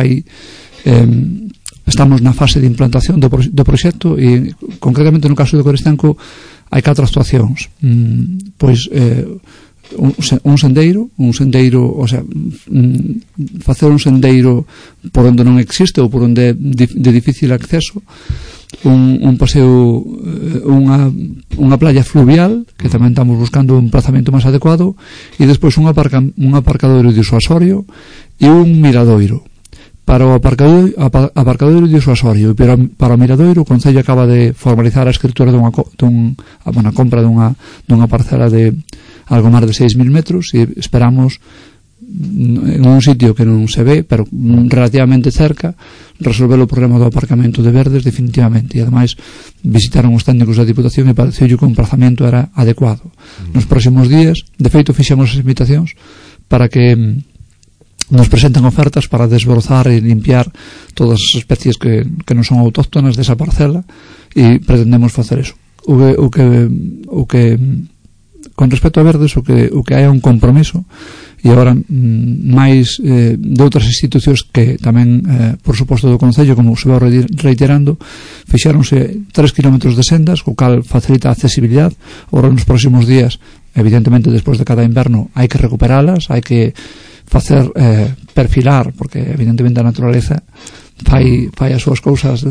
estamos na fase de implantación do proxecto e concretamente no caso do Coristanco hai 4 actuacións. Pois un sendeiro, o sea, facer un sendeiro por onde non existe ou por onde é de difícil acceso, un paseo, unha playa fluvial, que tamén estamos buscando un emplazamento máis adecuado, e despois un aparcadoiro disuasorio e un miradoiro. Para o aparcadoiro disuasorio e para o miradoiro, o Concello acaba de formalizar a escritura dunha compra dunha parcela de algo máis de 6.000 metros, e esperamos en un sitio que non se ve, pero relativamente cerca, resolver o problema do aparcamento de verdes definitivamente. E ademais visitaron os técnicos da Diputación e pareceu que o emplazamento era adecuado. Nos próximos días, de feito, fixemos as invitacións para que nos presenten ofertas para desbrozar e limpiar todas as especies que non son autóctonas desa parcela, e pretendemos facer eso. O que con respecto a verdes, o que hai un compromiso, e agora máis de outras institucións que tamén, por suposto, do Concello, como se vai reiterando, fixáronse 3 kilómetros de sendas, o cal facilita a accesibilidade. Agora, nos próximos días, evidentemente, despois de cada inverno, hai que recuperalas, hai que facer perfilar, porque evidentemente a naturaleza fai as súas cousas,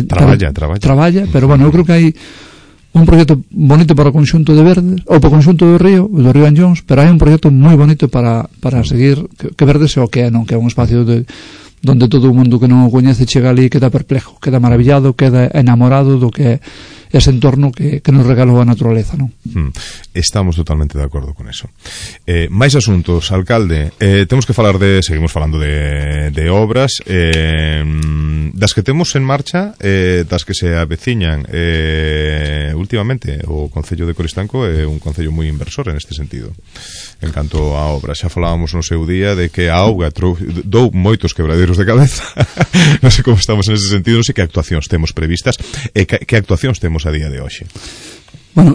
traballa, pero bueno, eu creo que hai un proxecto bonito para o conxunto de Verdes, ou para o conxunto do río Anllóns, pero hai un proxecto moi bonito para seguir, que Verdes é o que é, non? Que é un espacio donde todo o mundo que non o coñece chega ali e queda perplexo, queda maravillado, queda enamorado do que é ese entorno que nos regalou a naturaleza, non? Estamos totalmente de acordo con eso. Máis asuntos, alcalde. Temos que falar seguimos falando de obras, das que temos en marcha, das que se aveciñan. Últimamente o Concello de Coristanco é un concello moi inversor en este sentido, en canto a obras. Xa falábamos no seu día de que a auga dou moitos quebradeiros de cabeza. Non sei como estamos en ese sentido, non sei que actuacións temos previstas e que actuacións temos a día de hoxe. Bueno,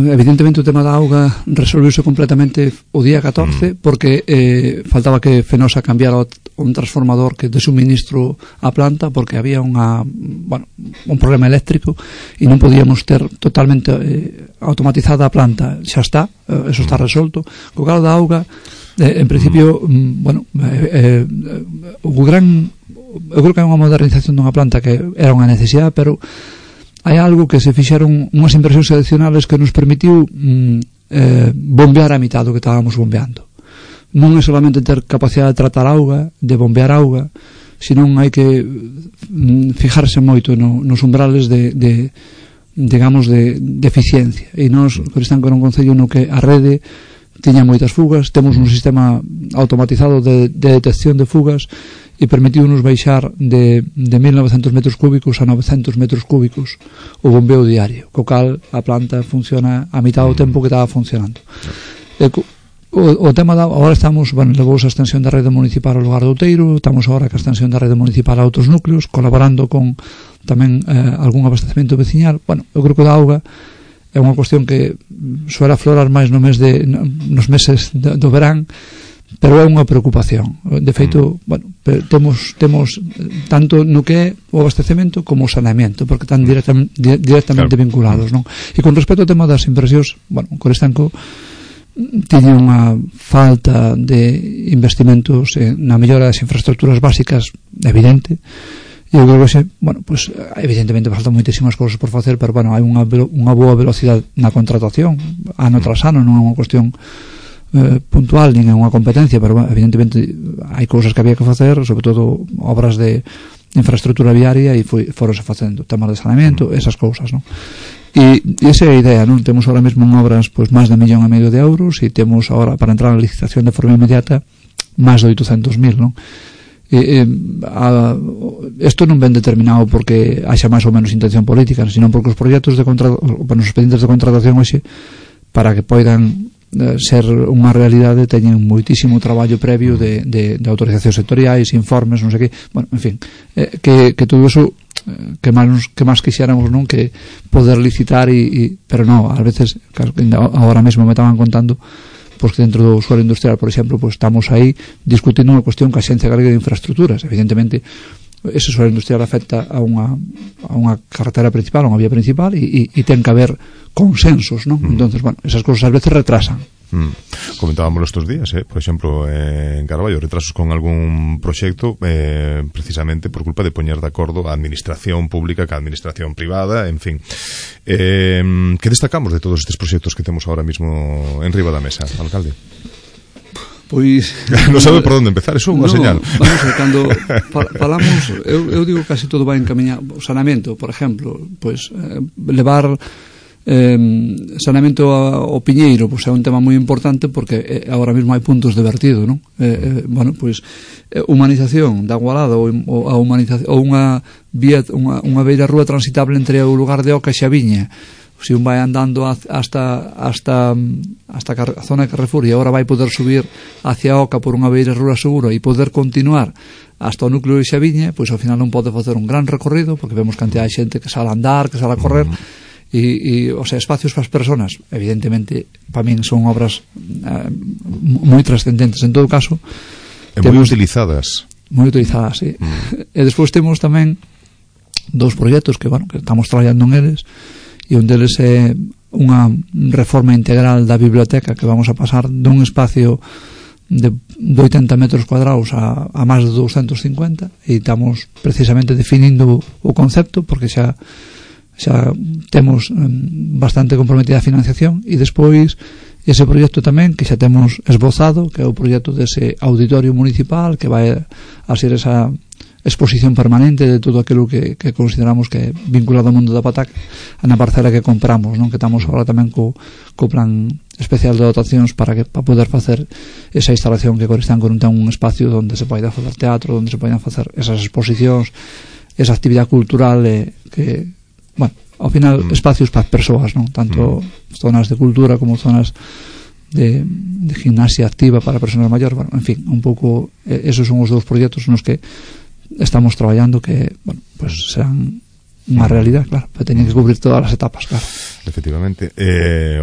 evidentemente o tema da auga resolviuse completamente o día 14 porque faltaba que Fenosa cambiara un transformador que de suministro á planta, porque había un problema eléctrico e non podíamos ter totalmente automatizada a planta. Xa está, eso está resolto. Co cal da auga, en principio, eu creo que é unha modernización dunha planta que era unha necesidade, pero hai algo que se fixeron unhas inversións adicionales que nos permitiu bombear a mitad do que estábamos bombeando. Non é solamente ter capacidade de tratar auga, de bombear auga, senón hai que fijarse moito nos umbrales de eficiencia. E nós, Coristanco, era un concello no que a rede tiña moitas fugas, temos un sistema automatizado de detección de fugas e permitiu-nos baixar de 1.900 metros cúbicos a 900 metros cúbicos o bombeo diario, co cal a planta funciona a mitad do tempo que estaba funcionando. O tema agora estamos, levou a extensión da rede municipal ao lugar do Outeiro, estamos agora ca extensión da rede municipal a outros núcleos, colaborando con tamén algún abastecemento veciñal. Eu creo que da auga é unha cuestión que suele aflorar máis nos meses do verán, pero é unha preocupación. De feito, temos tanto no que é o abastecemento como o saneamento, porque están directamente vinculados, non? E con respecto ao tema das inversións, Coristanco tiña unha falta de investimentos na mellora das infraestructuras básicas evidente. E eu creo que evidentemente faltan moitísimas cousas por facer, pero hai unha boa velocidade na contratación ano tras ano, non é unha cuestión puntual nin é unha competencia, pero evidentemente hai cousas que había que facer, sobre todo obras de infraestructura viaria, e foronse facendo temas de saneamento, esas cousas, non? E esa é a idea, non? Temos ahora mesmo en obras máis de 1,5 millón de euros, e temos agora para entrar na licitación de forma inmediata máis de 800.000, non? Isto non ven determinado porque haxa máis ou menos intención política, senón porque os proxectos os expedientes de contratación hoxe, para que poidan ser unha realidade, teñen moitísimo traballo previo de autorizacións sectoriais, informes, non sei que, en fin, que todo eso que máis quixéramos, non, que poder licitar, pero non, ás veces agora mesmo me estaban contando que dentro do suelo industrial, por exemplo, estamos aí discutindo unha cuestión que a Axencia Galega de Infraestructuras. Evidentemente ese suelo industrial afecta a unha carretera principal, a unha vía principal, e ten que haber consensos, non? Entonces, esas cousas ás veces retrasan Comentábamos estos días, por exemplo, en Carballo, retrasos con algún proxecto precisamente por culpa de poñer de acordo a administración pública que a administración privada, en fin. Que destacamos de todos estes proxectos que temos ahora mismo en riba da mesa, alcalde? Pois non sabe por onde empezar, eso é unha señal. Vamos a ver, cando falamos, eu digo casi todo vai encaminhado. O saneamento, por exemplo, pois levar saneamento ao Piñeiro, pois é un tema moi importante porque agora mesmo hai puntos de vertido, non? Bueno, pois humanización da Agualada ou unha vía, unha beira rúa transitable entre o lugar de Oca e Xaviña. Se un vai andando hasta a zona de Carrefour e agora vai poder subir hacia Oca por unha beira rúa segura e poder continuar hasta o núcleo de Xaviña, pois ao final non pode facer un gran recorrido porque vemos cantidad de xente que sale a andar, que sale a correr e o sea, espacios para as personas evidentemente para min son obras moi trascendentes. En todo caso moi utilizadas, sí. E despois temos tamén dous proxectos que, bueno, que estamos traballando en eles, e un deles é unha reforma integral da biblioteca que vamos a pasar dun espacio de 80 metros cuadrados a máis de 250 e estamos precisamente definindo o concepto porque xa temos bastante comprometida a financiación e despois ese proxecto tamén que xa temos esbozado, que é o proxecto dese auditorio municipal que vai a ser esa exposición permanente de todo aquilo que consideramos que é vinculado ao mundo da pataca na parcela que compramos, non? Que estamos agora tamén co plan especial de dotacións para poder facer esa instalación que Coristanco non ten un espacio onde se poida facer teatro, onde se poidan facer esas exposicións, esa actividade cultural que, bueno, ao final espacios para as persoas, non? Tanto zonas de cultura como zonas de gimnasia activa para persoas maiores, bueno, en fin, un pouco esos son os dous proxectos nos que estamos traballando que, bueno, pues serán unha realidade, claro, pero teñen que cubrir todas as etapas, claro. Efectivamente.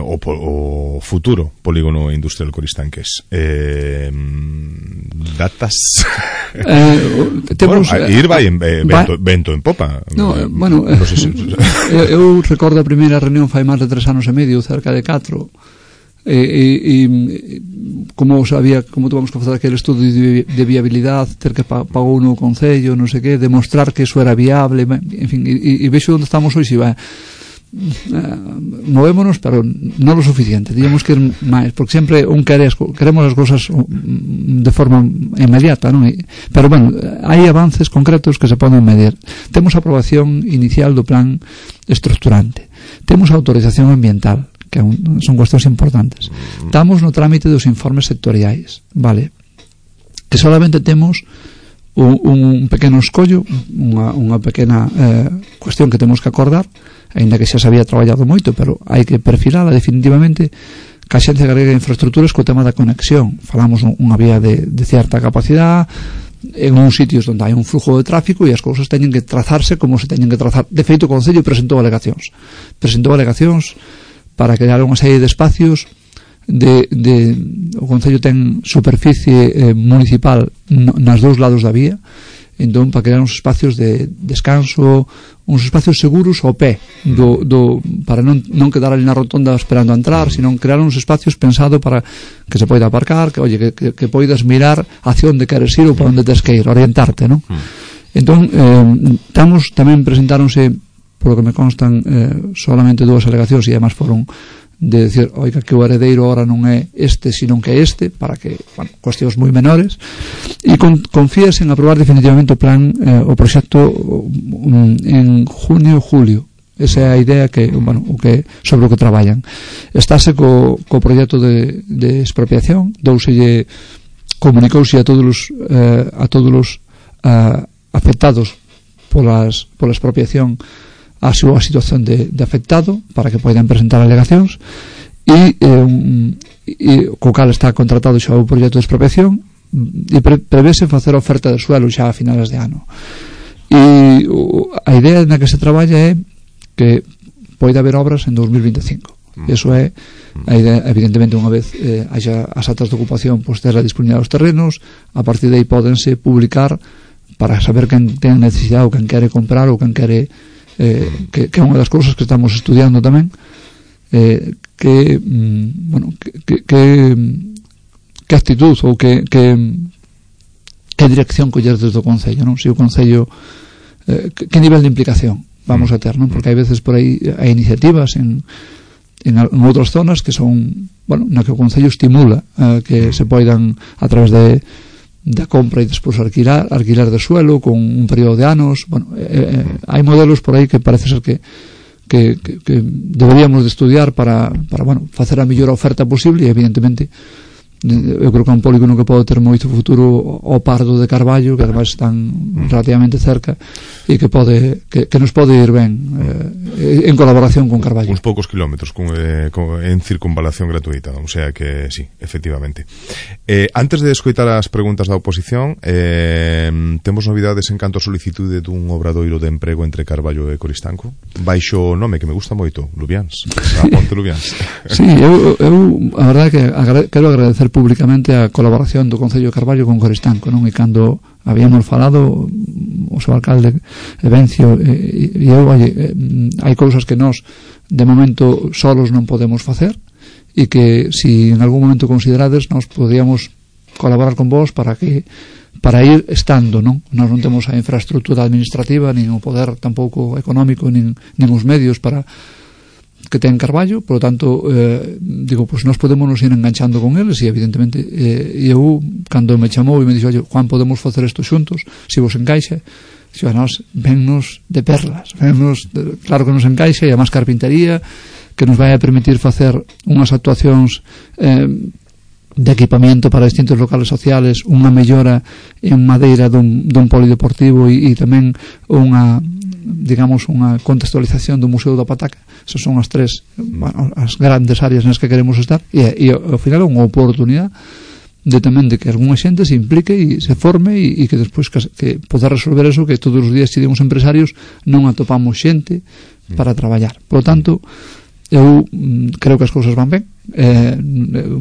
O futuro polígono industrial Coristanques, datas temos, ir vai vento en popa. Bueno, no sé si... eu recordo a primeira reunión fai máis de 3 anos e medio, cerca de 4, como tuvamos que facer aquele estudo de viabilidade, ter que pagou no Concello, non sei que, demostrar que eso era viable, en fin, e vexo onde estamos hoxe, movémonos, pero non lo suficiente, digamos que ir máis, porque sempre queremos as cousas de forma inmediata, non? Pero bueno, hai avances concretos que se poden medir. Temos a aprobación inicial do plan estructurante, temos a autorización ambiental, que son cuestións importantes. Estamos no trámite dos informes sectoriais, vale? Que solamente temos un pequeno escollo, unha pequena cuestión que temos que acordar, aínda que xa se había traballado moito, pero hai que perfilala definitivamente ca Axencia Galega de Infraestructuras co tema da conexión. Falamos unha vía de certa capacidade en uns sitios onde hai un flujo de tráfico e as cousas teñen que trazarse como se teñen que trazar. De feito, o Concello presentou alegacións para crear unha serie de espacios o Concello ten superficie municipal nas dous lados da vía, entón para crear uns espacios de descanso, uns espacios seguros ao pé para non quedar ali na rotonda esperando a entrar, sino crear uns espacios pensados para que se poida aparcar, que poidas mirar hacia onde queres ir ou para onde tes que ir, orientarte, non? Entón tamén presentáronse, por lo que me constan, solamente 2 alegacións e además foron de decir, oiga, que o heredeiro ahora non é este, sino que é este, para que, bueno, cuestións moi menores, e confías en aprobar definitivamente o plan, o proxecto en junio ou julio. Esa é a idea que, bueno, sobre o que traballan. Estáse co proxecto de expropiación, comunicouse a todos os afectados pola expropiación a súa situación de afectado para que poidan presentar alegacións e co cal está contratado xa o proxecto de expropiación e prevese facer a oferta de suelo xa a finales de ano. E a idea na que se traballa é que poida haber obras en 2025. Eso é a idea. Evidentemente, unha vez haxa as actas de ocupación, pois ter a disponibilidade dos terrenos, a partir de aí pódense publicar para saber quen ten necesidade ou quen quere comprar ou quen quere que é unha das cousas que estamos estudiando tamén, que actitud ou que dirección coller desde o Concello, non? Se o Concello que nivel de implicación vamos a ter, non? Porque hai veces por aí hai iniciativas en outras zonas que son, bueno, na que o Concello estimula que se poidan a través da compra e despois alquilar de suelo con un período de anos. Bueno, hai modelos por aí que parece ser que deberíamos de estudiar para bueno, facer a mellor oferta posible e evidentemente eu creo que é un polígono que pode ter moito futuro ao Pardo de Carballo, que ademais están relativamente cerca e que nos pode ir ben en colaboración con Carballo. Uns poucos kilómetros en circunvalación gratuita, o sea que sí, efectivamente. Antes de escoitar as preguntas da oposición, temos novidades en canto a solicitude dun obradoiro de emprego entre Carballo e Coristanco, baixo o nome que me gusta moito, Lubiáns, a Ponte Lubiáns. Sí, eu a verdade que quero agradecer públicamente a colaboración do Concello de Carballo con Coristanco, non? E cando habíamos falado o seu alcalde Evencio e eu, hai cousas que nós de momento solos non podemos facer e que si en algún momento considerades nós podíamos colaborar con vos para ir estando, non? Nós non temos a infraestructura administrativa nin o poder tampouco económico nin os medios para que ten Carballo, por lo tanto digo, pues nós podemos nos ir enganchando con eles e evidentemente eu, cando me chamou e me dixo, Juan, podemos facer isto xuntos, se vos encaixa, dixo, a nós vennos de perlas, claro que nos encaixa, e a máis carpintería que nos vai a permitir facer unhas actuacións de equipamiento para distintos locales sociales, unha mellora en madeira dun polideportivo e tamén unha contextualización do Museo da Pataca. Esas son as tres, bueno, as grandes áreas nas que queremos estar e ao final é unha oportunidade de que algunha xente se implique e se forme e que despois que poder resolver eso que todos os días tivemos empresarios non atopamos xente para traballar. Por lo tanto, eu creo que as cousas van ben,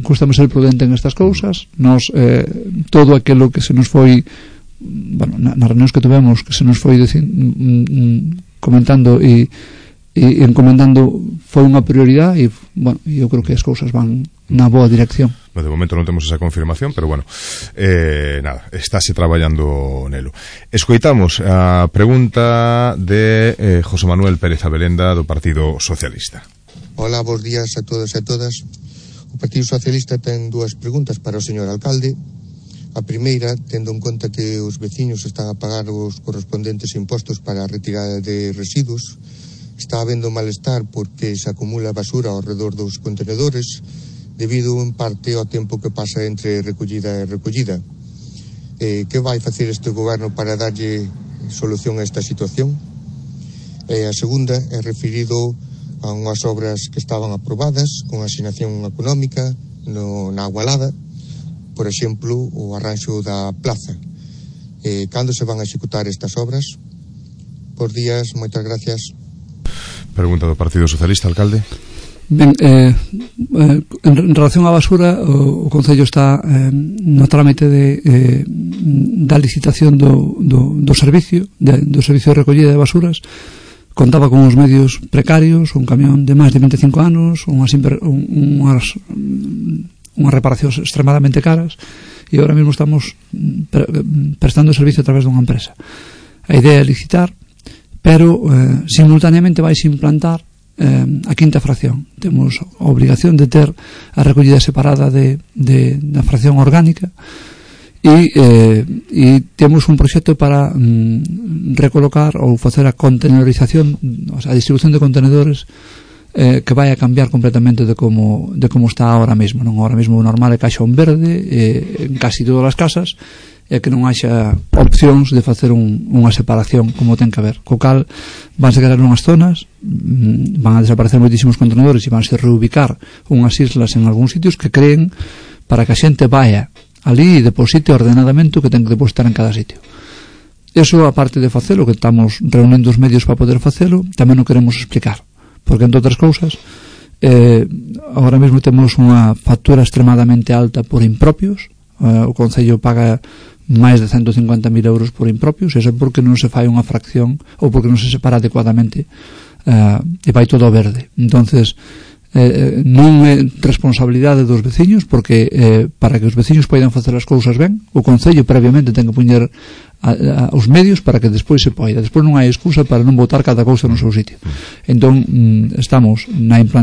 custame ser prudente en estas cousas. Nós todo aquilo que se nos foi, bueno, nas reunións que tuvemos, que se nos foi comentando e encomendando, foi unha prioridade e, bueno, eu creo que as cousas van na boa dirección. De momento non temos esa confirmación, pero bueno, nada, estáse traballando nelo. Escoitamos a pregunta de José Manuel Pérez Abelenda do Partido Socialista. Hola, bons días a todos e a todas. O Partido Socialista ten dúas preguntas para o señor alcalde. A primeira, tendo en conta que os veciños están a pagar os correspondentes impostos para a retirada de residuos, está habendo malestar porque se acumula basura ao redor dos contenedores debido en parte ao tempo que pasa entre recollida e recollida. Que vai facer este goberno para darlle solución a esta situación? A segunda é referido a unhas obras que estaban aprobadas con asignación económica na Agualada, por exemplo, o arranxo da plaza. Cando se van a executar estas obras? Por días, moitas gracias. Pregunta do Partido Socialista, alcalde. Ben, en relación á basura, o Concello está no trámite da licitación do servicio de recollida de basuras. Contaba con uns medios precarios, un camión de máis de 25 anos, unhas reparacións extremadamente caras, e agora mesmo estamos prestando servicio a través dunha empresa. A idea é licitar, pero simultaneamente vais implantar a quinta fracción. Temos a obrigación de ter a recollida separada da fracción orgánica e temos un proxecto para recolocar ou facer a contenedorización, a distribución de contenedores que vai a cambiar completamente de como está ahora mesmo. Non, ahora mesmo o normal é caixón verde en casi todas as casas, e que non haxa opcións de facer unha separación como ten que haber, co cal vanse quedar unhas zonas, van a desaparecer moitísimos contenedores e vanse reubicar unhas islas en algúns sitios que creen para que a xente vaya ali e deposite ordenadamente o que ten que depositar en cada sitio. Eso, aparte de facelo, que estamos reunindo os medios para poder facelo, tamén o queremos explicar, porque entre outras cousas agora mesmo temos unha factura extremadamente alta por impropios. O Concello paga máis de 150.000 euros por impropios, e iso porque non se fai unha fracción ou porque non se separa adecuadamente e vai todo verde. Entonces non é responsabilidade dos veciños, porque para que os veciños poidan facer as cousas ben, o Concello previamente ten que poñer os medios para que despois se poida. Despois non hai excusa para non botar cada cousa no seu sitio. Entón, estamos na implantación